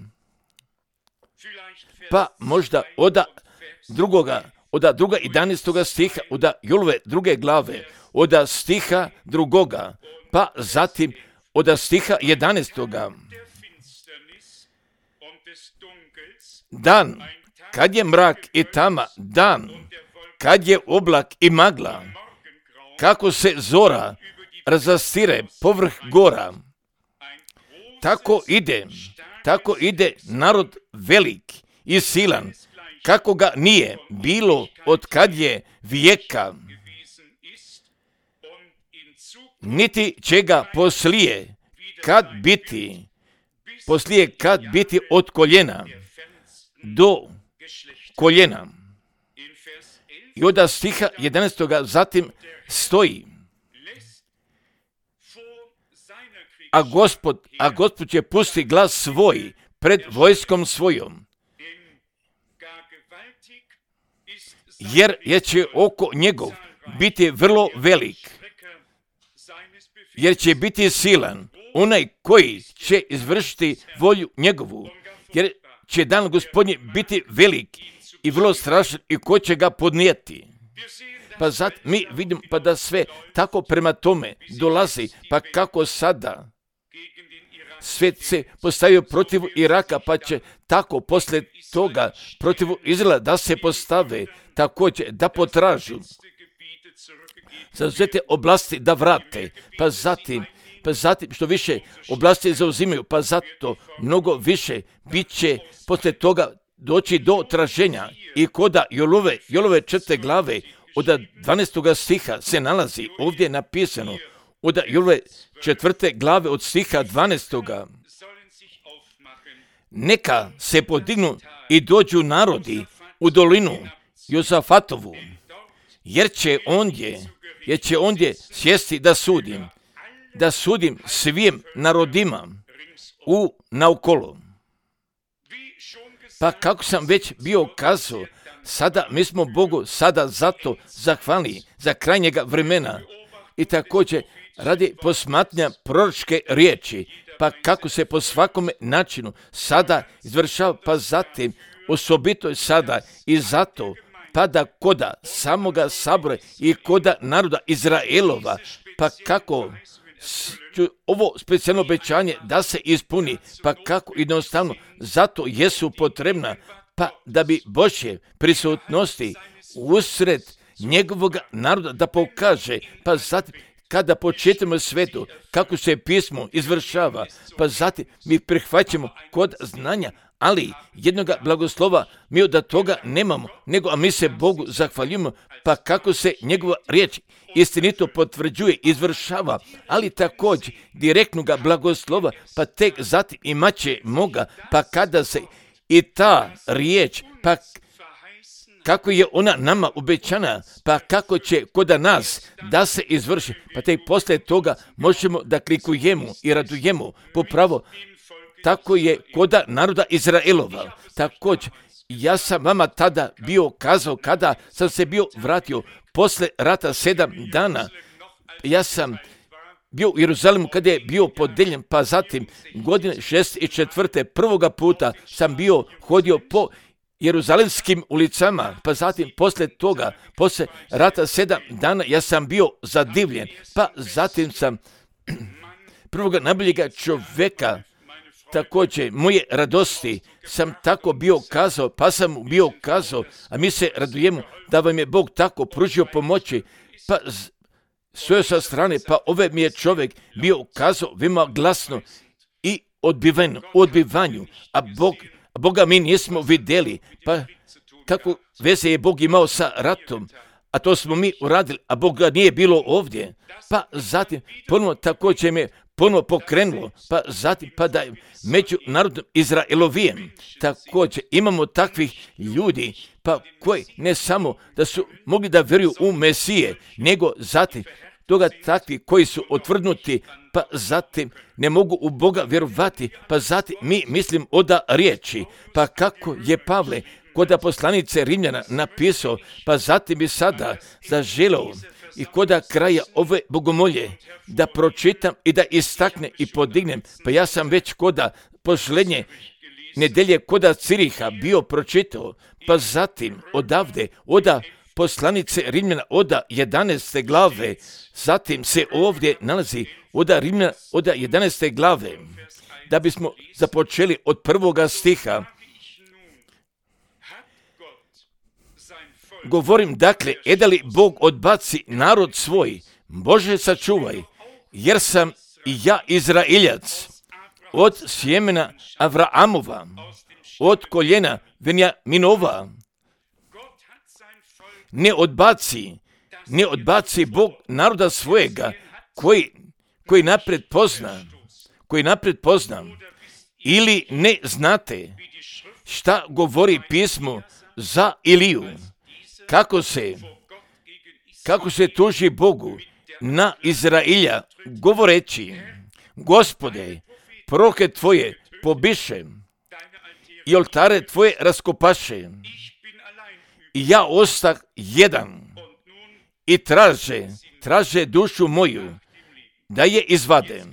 pa možda od drugoga, od druga jedanaestoga stiha, od Joelove druge glave, od stiha drugoga, pa zatim od stiha jedanaestoga. Dan, kad je mrak i tama, dan, kad je oblak i magla, kako se zora razastire povrh gora, tako ide, tako ide narod velik i silan, kako ga nije bilo od kad je vijeka, niti će ga poslije kad biti, poslije kad biti od koljena do koljena. I od stiha jedanaestoga zatim stoji, a Gospod, a Gospod će pusti glas svoj pred vojskom svojom, jer je će oko njegov biti vrlo velik, jer će biti silan onaj koji će izvršiti volju njegovu, jer će dan Gospodnji biti velik i vrlo strašan i ko će ga podnijeti. Pa zato mi vidimo pa da sve tako prema tome dolazi, pa kako sada svijet se postavio protiv Iraka, pa će tako poslije toga protiv Izraela da se postave, također da potražu zauzete oblasti da vrate, pa zatim, pa zatim što više oblasti zauzimaju, pa zato mnogo više bit će poslije toga doći do traženja. I koda Jolove, Jolove četvrte glave od dvanaestoga stiha se nalazi ovdje napisano, od Jolove četvrte glave od stiha dvanaestoga. Neka se podignu i dođu narodi u dolinu Jozafatovu, jer će ondje, jer će ondje sjesti da sudim. da sudim svim narodima u naokolo. Pa kako sam već bio kazao, sada mi smo Bogu sada zato zahvalni za krajnjega vremena i također radi posmatranja proročke riječi, pa kako se po svakome načinu sada izvršava, pa zatim osobito sada i zato pada koda samoga sabora i koda naroda Izraelova, pa kako ovo specijalno obećanje da se ispuni, pa kako jednostavno zato jesu potrebna, pa da bi Božje prisutnosti usred njegovog naroda da pokaže, pa zatim kada početimo svetu, kako se pismo izvršava, pa zatim mi prihvaćamo kod znanja, ali jednoga blagoslova mi od toga nemamo, nego a mi se Bogu zahvaljujemo, pa kako se njegova riječ istinito potvrđuje, izvršava, ali također direktnoga blagoslova, pa tek zatim imat će moga, pa kada se i ta riječ, pa kako je ona nama obećana, pa kako će kod nas da se izvrši, pa tek poslije toga možemo da klikujemo i radujemo popravo. Tako je kod naroda Izraelova. Također, ja sam vama tada bio kazao kada sam se bio vratio posle rata sedam dana. Ja sam bio u Jeruzalemu kada je bio podeljen, pa zatim godine šest i četvrte prvoga puta sam bio hodio po jeruzalemskim ulicama, pa zatim posle toga, posle rata sedam dana, ja sam bio zadivljen, pa zatim sam prvoga najboljega čovjeka, također moje radosti, sam tako bio kazao, pa sam mu bio kazao, a mi se radujemo da vam je Bog tako pružio pomoći, pa stoje sa strane, pa ove mi je čovjek bio kazao veoma glasno i odbiven, odbivanju, a Bog Boga mi nismo vidjeli, pa kako veze je Bog imao sa ratom, a to smo mi uradili, a Boga nije bilo ovdje, pa zatim ponovno također me ponovno pokrenulo, pa zatim pa da među narodom Izraelovijem također imamo takvih ljudi, pa koji ne samo da su mogli da vjeruju u Mesije, nego zatim toga takvi koji su otvrdnuti, pa zatim ne mogu u Boga vjerovati, pa zatim mi mislim oda riječi, pa kako je Pavle kod poslanice Rimljana napisao, pa zatim bi sada zaželeo i koda kraja ove bogomolje da pročitam i da istakne i podignem, pa ja sam već koda posljednje nedelje koda Ciriha bio pročitao, pa zatim odavde, oda poslanice Rimljana, oda jedanaeste glave, zatim se ovdje nalazi oda Rimljana, oda jedanaeste glave, da bismo započeli od prvoga stiha. Govorim dakle, eda li Bog odbaci narod svoj, Bože sačuvaj, jer sam i ja Izraeljac, od sjemena Avraamova, od koljena Venjaminova. Ne odbaci, ne odbaci Bog naroda svojega, koji, koji napred pozna, koji napred pozna. Ili ne znate šta govori pismo za Iliju, kako se, kako se tuži Bogu na Izraelja, govoreći, Gospode, proroke tvoje pobiše i oltare tvoje raskopaše. I ja ostah jedan i traže, traže dušu moju da je izvade.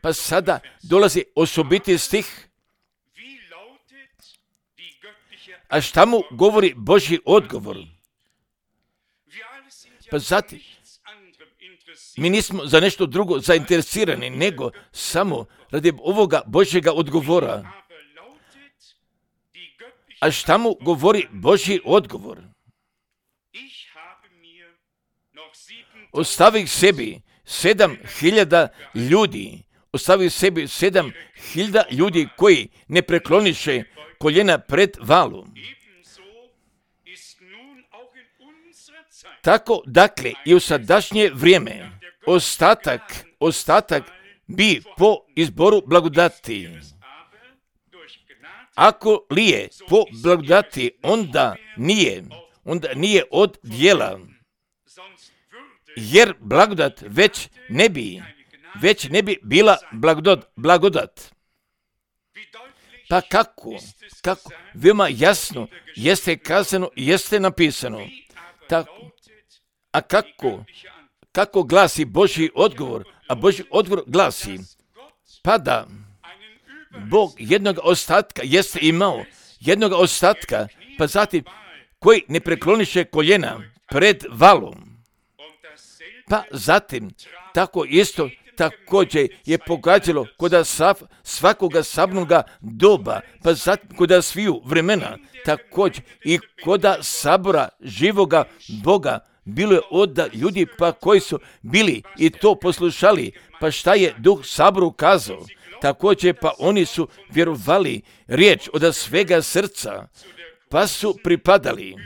Pa sada dolazi osobiti stih. A šta mu govori Božji odgovor? Pa zatim, mi nismo za nešto drugo zainteresirani, nego samo radi ovoga Božjega odgovora. A šta mu govori Božji odgovor? Ostavih sebi sedam hiljada ljudi, ostavih sebi sedam hiljada ljudi koji ne prekloniše koljena pred valom. Tako, dakle, i u sadašnje vrijeme, ostatak, ostatak bi po izboru blagodati. Ako li je po blagodati, onda nije, onda nije od djela. Jer blagodat već ne bi već ne bi bila blagodat. blagodat. Pa kako? Kako? Veoma jasno jeste kazano, jeste napisano. Tako. A kako? Kako glasi Božji odgovor? A Božji odgovor glasi, pa da Bog jednog ostatka jeste imao, jednog ostatka, pa zatim koji ne prekloniše koljena pred valom. Pa zatim, tako isto također je pogađalo kod sav, svakoga sabnoga doba, pa zatim kod sviju vremena, također i kod sabora živoga Boga, bilo je od ljudi pa koji su bili i to poslušali, pa šta je Duh saboru kazao, također pa oni su vjerovali riječ od svega srca, pa su pripadali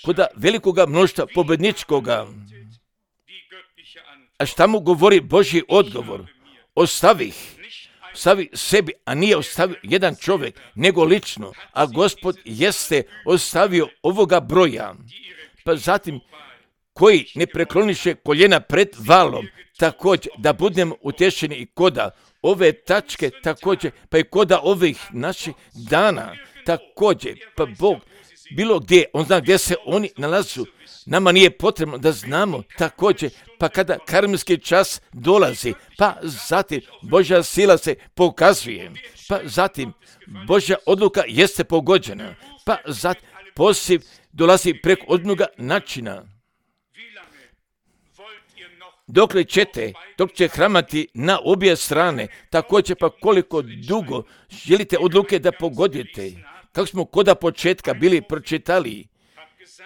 kod velikoga mnoštva pobedničkoga. A šta mu govori Božji odgovor? Ostavih, ostavi sebi, a nije ostavio jedan čovjek, nego lično, a Gospod jeste ostavio ovoga broja. Pa zatim, koji ne prekloniše koljena pred valom, također da budemo utješeni i koda ove tačke, također pa i koda ovih naših dana, također pa Bog bilo gdje, on zna gdje se oni nalazu. Nama nije potrebno da znamo također, pa kada karmski čas dolazi, pa zatim Božja sila se pokazuje, pa zatim Božja odluka jeste pogođena, pa zatim posiv dolazi preko odnoga načina. Dokle ćete, dok će hramati na obje strane, također pa koliko dugo želite odluke da pogodite, kako smo koda početka bili pročitali.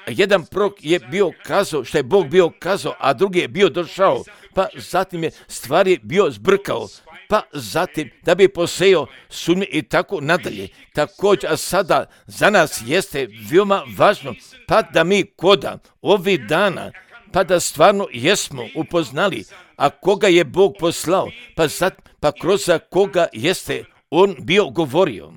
Jedan prorok je bio kazao što je Bog bio kazao, a drugi je bio došao, pa zatim je stvari bio zbrkao, pa zatim da bi posejao sumnje i tako nadalje. Također, a sada za nas jeste veoma važno, pa da mi koda ovih dana, pa da stvarno jesmo upoznali, a koga je Bog poslao, pa, zat, pa kroz koga jeste on bio govorio.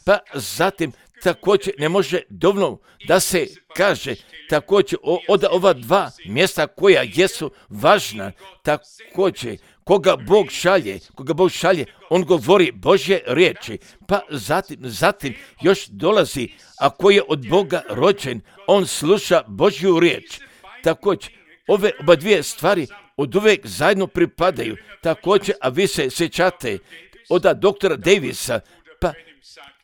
Pa zatim također ne može dovoljno da se kaže također od ova dva mjesta koja jesu važna, također koga Bog šalje, koga Bog šalje, on govori Božje riječi, pa zatim, zatim još dolazi, a koji je od Boga rođen, on sluša Božju riječ. Također, ove oba dvije stvari od uvijek zajedno pripadaju, također, a vi se sjećate od doktora Davisa, pa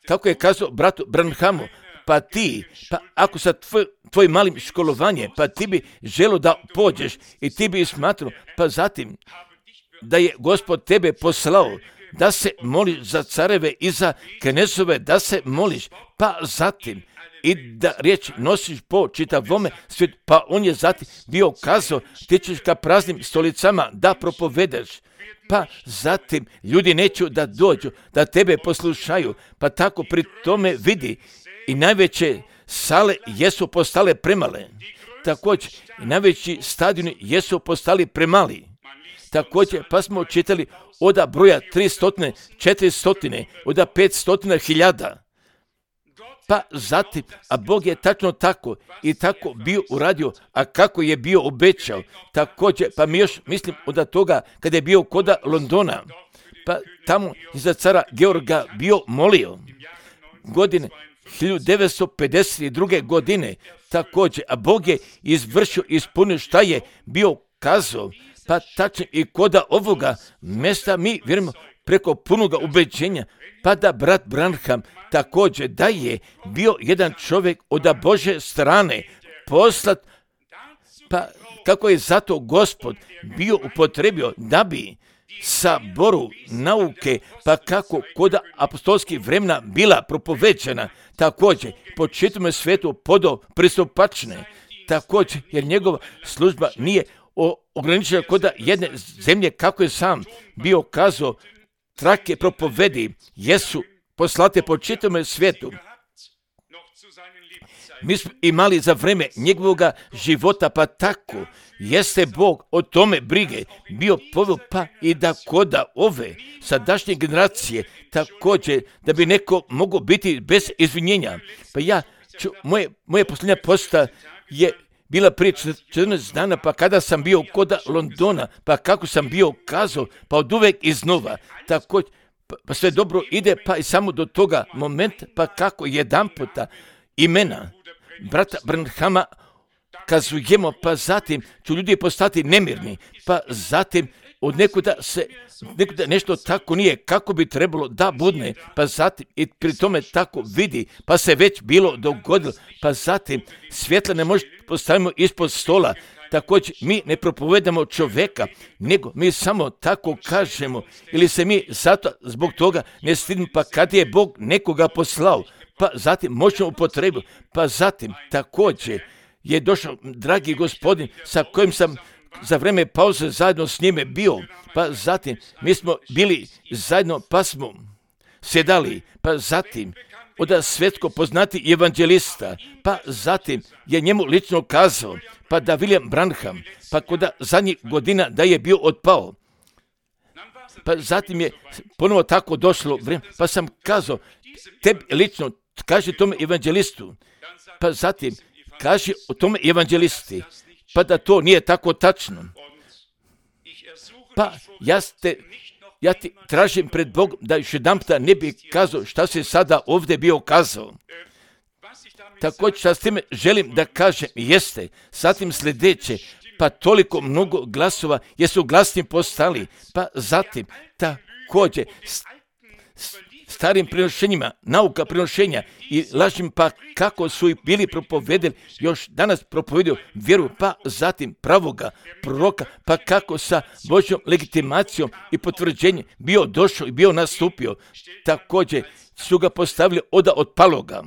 kako je kazao bratu Branhamu, pa ti, pa ako sa tvoj, tvoj malim školovanje, pa ti bi želo da pođeš i ti bi smatrao, pa zatim da je Gospod tebe poslao, da se moliš za careve i za knezove, da se moliš, pa zatim i da riječ nosiš po čitavome svijetu, pa on je zatim bio kazao, ti ćeš ka praznim stolicama da propovedeš, pa zatim ljudi neću da dođu, da tebe poslušaju, pa tako pri tome vidi i najveće sale jesu postale premale, također i najveći stadioni jesu postali premali. Također, pa smo čitali od broja tristo, četiristo, od petsto hiljada. Pa zatim, a Bog je tačno tako i tako bio uradio, a kako je bio obećao. Također, pa mi još mislim od toga kada je bio koda Londona, pa tamo iza cara Georga bio molio godine hiljadu devetsto pedeset druge. godine također, a Bog je izvršio, ispunio šta je bio kazao, pa tačno i koda ovoga mjesta mi vjerujemo preko punoga ubeđenja, pa da brat Branham također da je bio jedan čovjek od Božje strane poslat, pa kako je zato Gospod bio upotrebio da bi saboru nauke, pa kako kod apostolskih vremena bila propoveđena, također po čitavom svijetu podo pristupačne, također jer njegova služba nije ograničena kod jedne zemlje, kako je sam bio kazao, trake propovedi jesu poslate po čitavom svijetu. Mi smo imali za vreme njegovoga života, pa tako jeste Bog o tome brige bio poveo, pa i da koda ove sadašnje generacije također da bi neko mogao biti bez izvinjenja. Pa ja ću, moje, moje posljednja posta je bila prije četrnaest dana, pa kada sam bio kod Londona, pa kako sam bio kazao, pa od uvek iznova, tako, pa, pa sve dobro ide, pa i samo do toga momenta, pa kako jedan puta imena brata Branhama kazujemo, pa zatim ću ljudi postati nemirni, pa zatim od nekuda se nekuda nešto tako nije kako bi trebalo da budne, pa zatim i pri tome tako vidi, pa se već bilo dogodilo, pa zatim svjetla ne može postavimo ispod stola. Također mi ne propovedamo čovjeka, nego mi samo tako kažemo, ili se mi zato zbog toga ne stidimo, pa kad je Bog nekoga poslao, pa zatim možemo upotrebiti, pa zatim također je došao dragi gospodin sa kojim sam za vreme pauze zajedno s njime bio, pa zatim mi smo bili zajedno, pa smo sjedali, pa zatim od svjetsko poznati evanđelista, pa zatim je njemu lično kazao, pa da William Branham, pa kod zadnjih godina da je bio otpao, pa zatim je ponovo tako došlo vrijeme, pa sam kazao, tebi lično, kaži tome evanđelistu, pa zatim kaži o tome evanđelisti, pa da to nije tako tačno. Pa ja, ste, ja ti tražim pred Bogom da još jedanputa ne bi kazao šta se sada ovdje bio kazao. Također šta s time želim da kažem jeste, zatim sljedeće, pa toliko mnogo glasova jesu glasni postali, pa zatim također starim prenošenjima, nauka prenošenja i lažnim, pa kako su i bili propovedeli, još danas propovedio vjeru, pa zatim pravoga proroka, pa kako sa Božjom legitimacijom i potvrđenjem bio došao i bio nastupio. Također su ga postavili od otpaloga,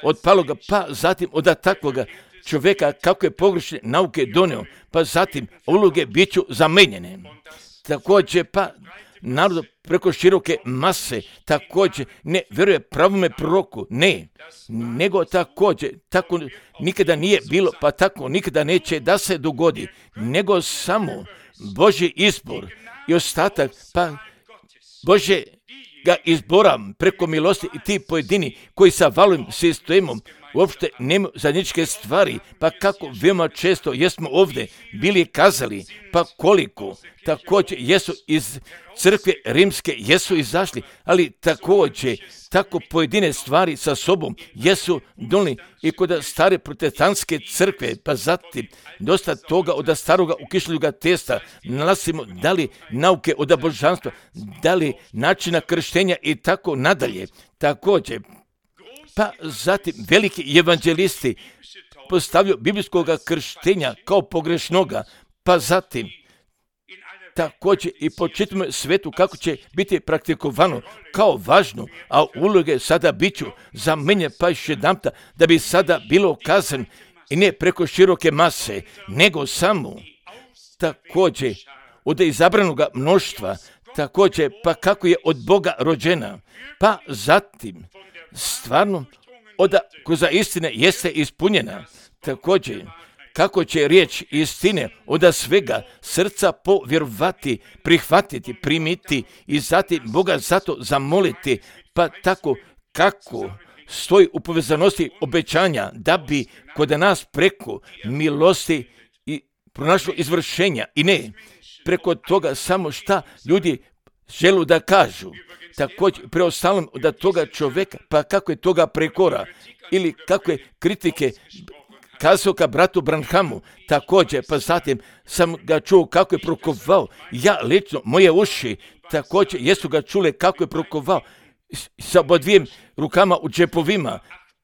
otpaloga, pa zatim od takvoga čovjeka kako je pogrešne nauke donio, pa zatim uloge bit ću zamenjene. Također pa narod preko široke mase također ne vjeruje pravome proroku, ne, nego također tako nikada nije bilo, pa tako nikada neće da se dogodi, nego samo Božji izbor i ostatak, pa Božje ga izbora preko milosti i ti pojedini koji sa valovim sistemom uopšte nemaju zajedničke stvari, pa kako veoma često jesmo ovdje bili kazali, pa koliko također jesu iz crkve rimske jesu izašli, ali također tako pojedine stvari sa sobom jesu donijeli i kod stare protestantske crkve, pa zatim dosta toga od staroga ukišljuga testa nalazimo da li nauke od božanstva, da li načina krštenja i tako nadalje. Također pa zatim veliki evanđelisti postavljaju biblijskog krštenja kao pogrešnoga, pa zatim također i po čitavom svetu kako će biti praktikovano kao važno, a uloge sada bit ću za mene pa još jedanputa da bi sada bilo kazan i ne preko široke mase, nego samo također od izabranog mnoštva, također pa kako je od Boga rođena, pa zatim stvarno od koza istine jeste ispunjena, također kako će riječ istine od svega srca povjerovati, prihvatiti, primiti i zatim Boga zato zamoliti, pa tako kako stoji u povezanosti obećanja da bi kod nas preko milosti i pronašlo izvršenja i ne preko toga samo šta ljudi želu da kažu. Također preostalom od toga čovjeka, pa kako je toga prekora ili kakve kritike kazao ka bratu Branhamu, također, pa zatim sam ga čuo kako je prokovao, ja lično, moje uši, također, jesu ga čule kako je prokovao, sa dvijim rukama u džepovima,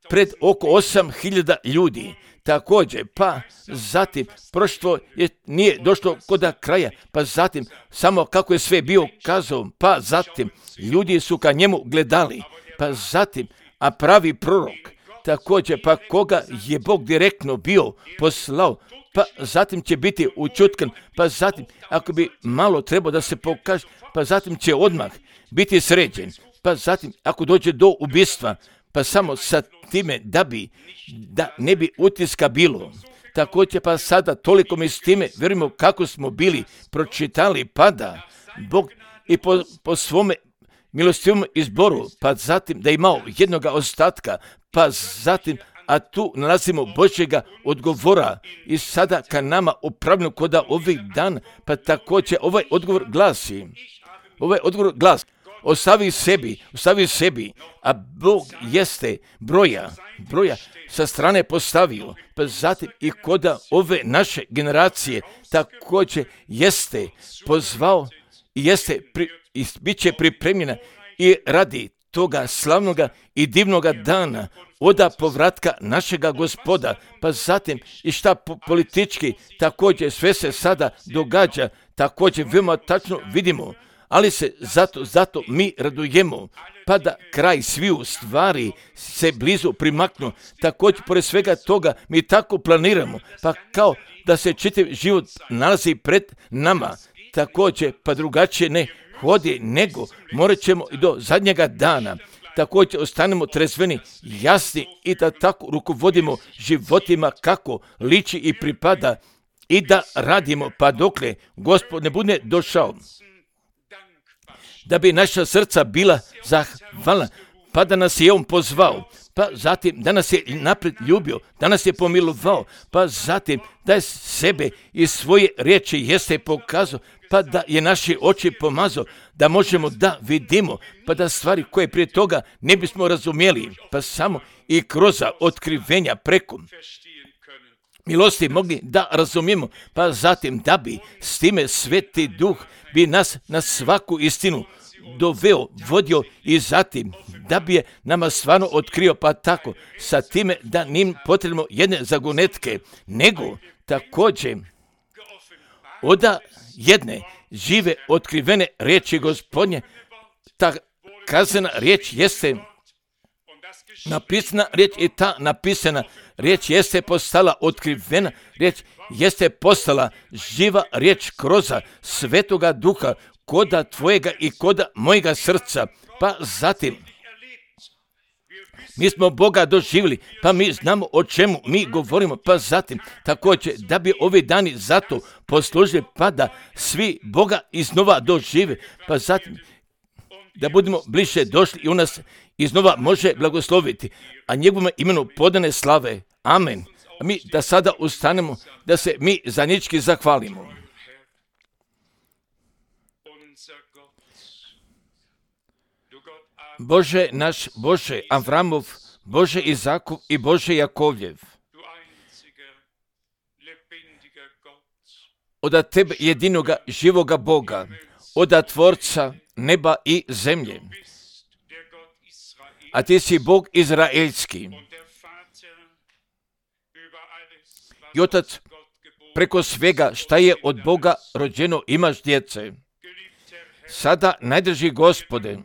pred oko osam hiljada ljudi, također, pa zatim, prošlo je, nije došlo kod kraja, pa zatim, samo kako je sve bio kazao, pa zatim, ljudi su ka njemu gledali, pa zatim, a pravi prorok, također, pa koga je Bog direktno bio poslao, pa zatim će biti učutkan, pa zatim, ako bi malo trebao da se pokaže, pa zatim će odmah biti sređen, pa zatim, ako dođe do ubistva, pa samo sa time da bi, da ne bi utiska bilo. Također, pa sada toliko mi s time, vjerujemo kako smo bili pročitali, pa da Bog i po, po svome milostivom izboru, pa zatim da je imao jednoga ostatka, pa zatim, a tu nalazimo Božjega odgovora i sada ka nama upravljeno koda ovih dan, pa također ovaj odgovor glasi, ovaj odgovor glasi, ostavi sebi, ostavi sebi, a Bog jeste broja, broja sa strane postavio, pa zatim i koda ove naše generacije također jeste pozvao i jeste pri, i bit će pripremljena i radi toga slavnoga i divnoga dana oda povratka našega Gospoda, pa zatim i šta politički također sve se sada događa, također veoma tačno vidimo, ali se zato, zato mi radujemo, pa da kraj sviju stvari se blizu primaknu. Također, pored svega toga, mi tako planiramo, pa kao da se čitav život nalazi pred nama, također, pa drugačije ne hodi, nego morat ćemo i do zadnjega dana. Također ostanemo trezveni, jasni i da tako rukovodimo životima kako liči i pripada i da radimo pa dokle Gospod ne bude došao. Da bi naša srca bila zahvalna, pa da nas je On pozvao, pa zatim da nas je naprijed ljubio, da nas je pomilovao, pa zatim da je sebe i svoje riječi jeste pokazao, pa da je naše oči pomazao, da možemo da vidimo, pa da stvari koje prije toga ne bismo razumjeli, pa samo i kroz otkrivenja preko milosti mogli da razumijemo, pa zatim da bi s time Sveti Duh bi nas na svaku istinu doveo, vodio i zatim da bi je nama stvarno otkrio, pa tako sa time da nim potrebno jedne zagonetke, nego također oda jedne žive otkrivene riječi Gospodnje. Ta kazana riječ jeste napisana riječ i ta napisana riječ jeste postala otkrivena riječ, jeste postala živa riječ kroz Svetoga Duha koda tvojega i koda mojega srca. Pa zatim mi smo Boga doživjeli, pa mi znamo o čemu mi govorimo, pa zatim također da bi ovi dani zato poslužili, pa da svi Boga iznova dožive, pa zatim da budemo bliže došli i u nas iznova može blagosloviti, a njegovom imenu podane slave. Amen. A mi da sada ustanemo, da se mi zajednički zahvalimo. Bože naš, Bože Avramov, Bože Izakov i Bože Jakovljev, oda tebe jedinoga živoga Boga, oda Tvorca neba i zemlje, a ti si Bog izraelski i Otac preko svega šta je od Boga rođeno imaš djece. Sada najdrži Gospode,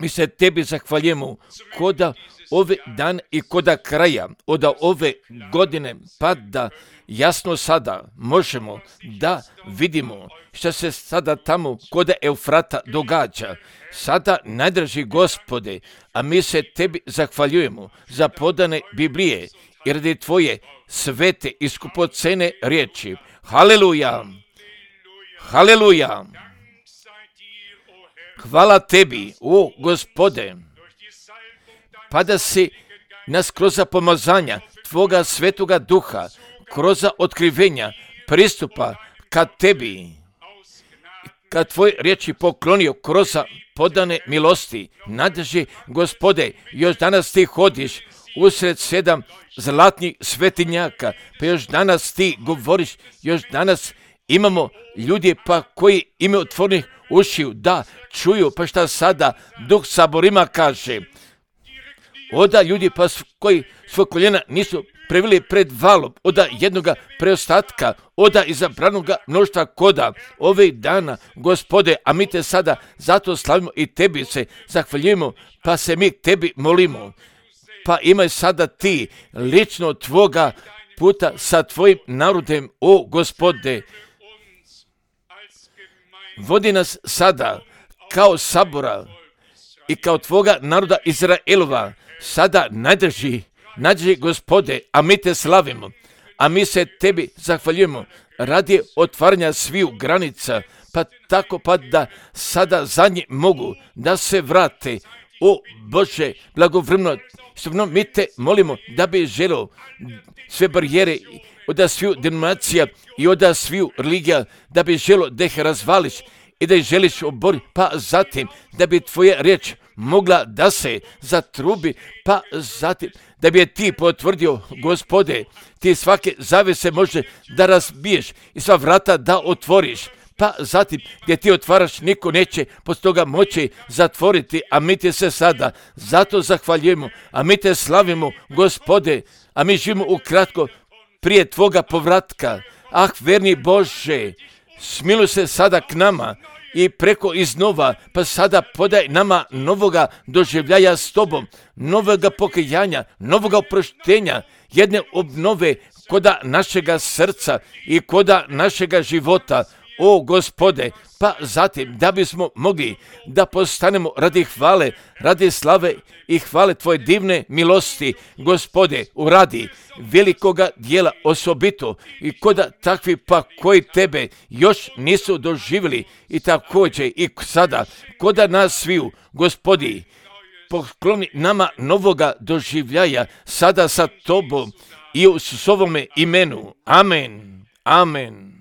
mi se tebi zahvaljujemo koda ove dan i koda kraja, oda ove godine, pa da jasno sada možemo da vidimo što se sada tamo koda Eufrata događa. Sada najdrži Gospode, a mi se tebi zahvaljujemo za podane Biblije i radi tvoje svete i skupocene riječi. Haleluja! Haleluja! Hvala tebi, o Gospode, pa da si nas kroz pomazanja tvoga Svetoga Duha, kroz otkrivenja pristupa ka tebi, kad tvoj riječi poklonio kroz podane milosti. Nadrži Gospode, još danas ti hodiš usred sedam zlatnih svetinjaka, pa još danas ti govoriš, još danas imamo ljudi pa koji imaju otvorenih ušiju da čuju, pa šta sada Duh saborima kaže. Oda ljudi pa koji svoj koljena nisu preveli pred valom, oda jednoga preostatka, oda izabranoga mnoštva koda ovih dana, Gospode, a mi te sada zato slavimo i tebi se zahvaljujemo, pa se mi tebi molimo. Pa imaj sada ti lično tvoga puta sa tvojim narodem, o Gospode. Vodi nas sada kao sabora i kao tvoga naroda Izraelova. Sada nadrži, nadrži Gospode, a mi te slavimo, a mi se tebi zahvaljujemo radi otvaranja sviju granica, pa tako pa da sada zadnji mogu da se vrate O Bože, blagovremeno, stvarno mi te molimo da bi želio sve barijere od sviju denominacija i od sviju religija, da bi želio da ih razvališ i da ih želiš oboriti, pa zatim da bi tvoja riječ mogla da se zatrubi, pa zatim da bi je ti potvrdio, Gospode, ti svake zavese može da razbiješ i sva vrata da otvoriš, pa zatim gdje ti otvaraš niko neće poslije toga moći zatvoriti, a mi ti se sada zato zahvaljujemo, a mi te slavimo, Gospode, a mi živimo ukratko prije tvoga povratka. Ah, verni Bože, smiluj se sada k nama i preko iznova, pa sada podaj nama novoga doživljaja s tobom, novoga pokajanja, novoga oproštenja, jedne obnove koda našega srca i koda našega života, o Gospode, pa zatim da bismo mogli da postanemo radi hvale, radi slave i hvale tvoje divne milosti, Gospode, uradi velikoga dijela osobito i koda takvi pa koji tebe još nisu doživjeli i također i sada koda nas sviju, Gospodi, pokloni nama novoga doživljaja sada sa tobom i u svome imenu. Amen. Amen.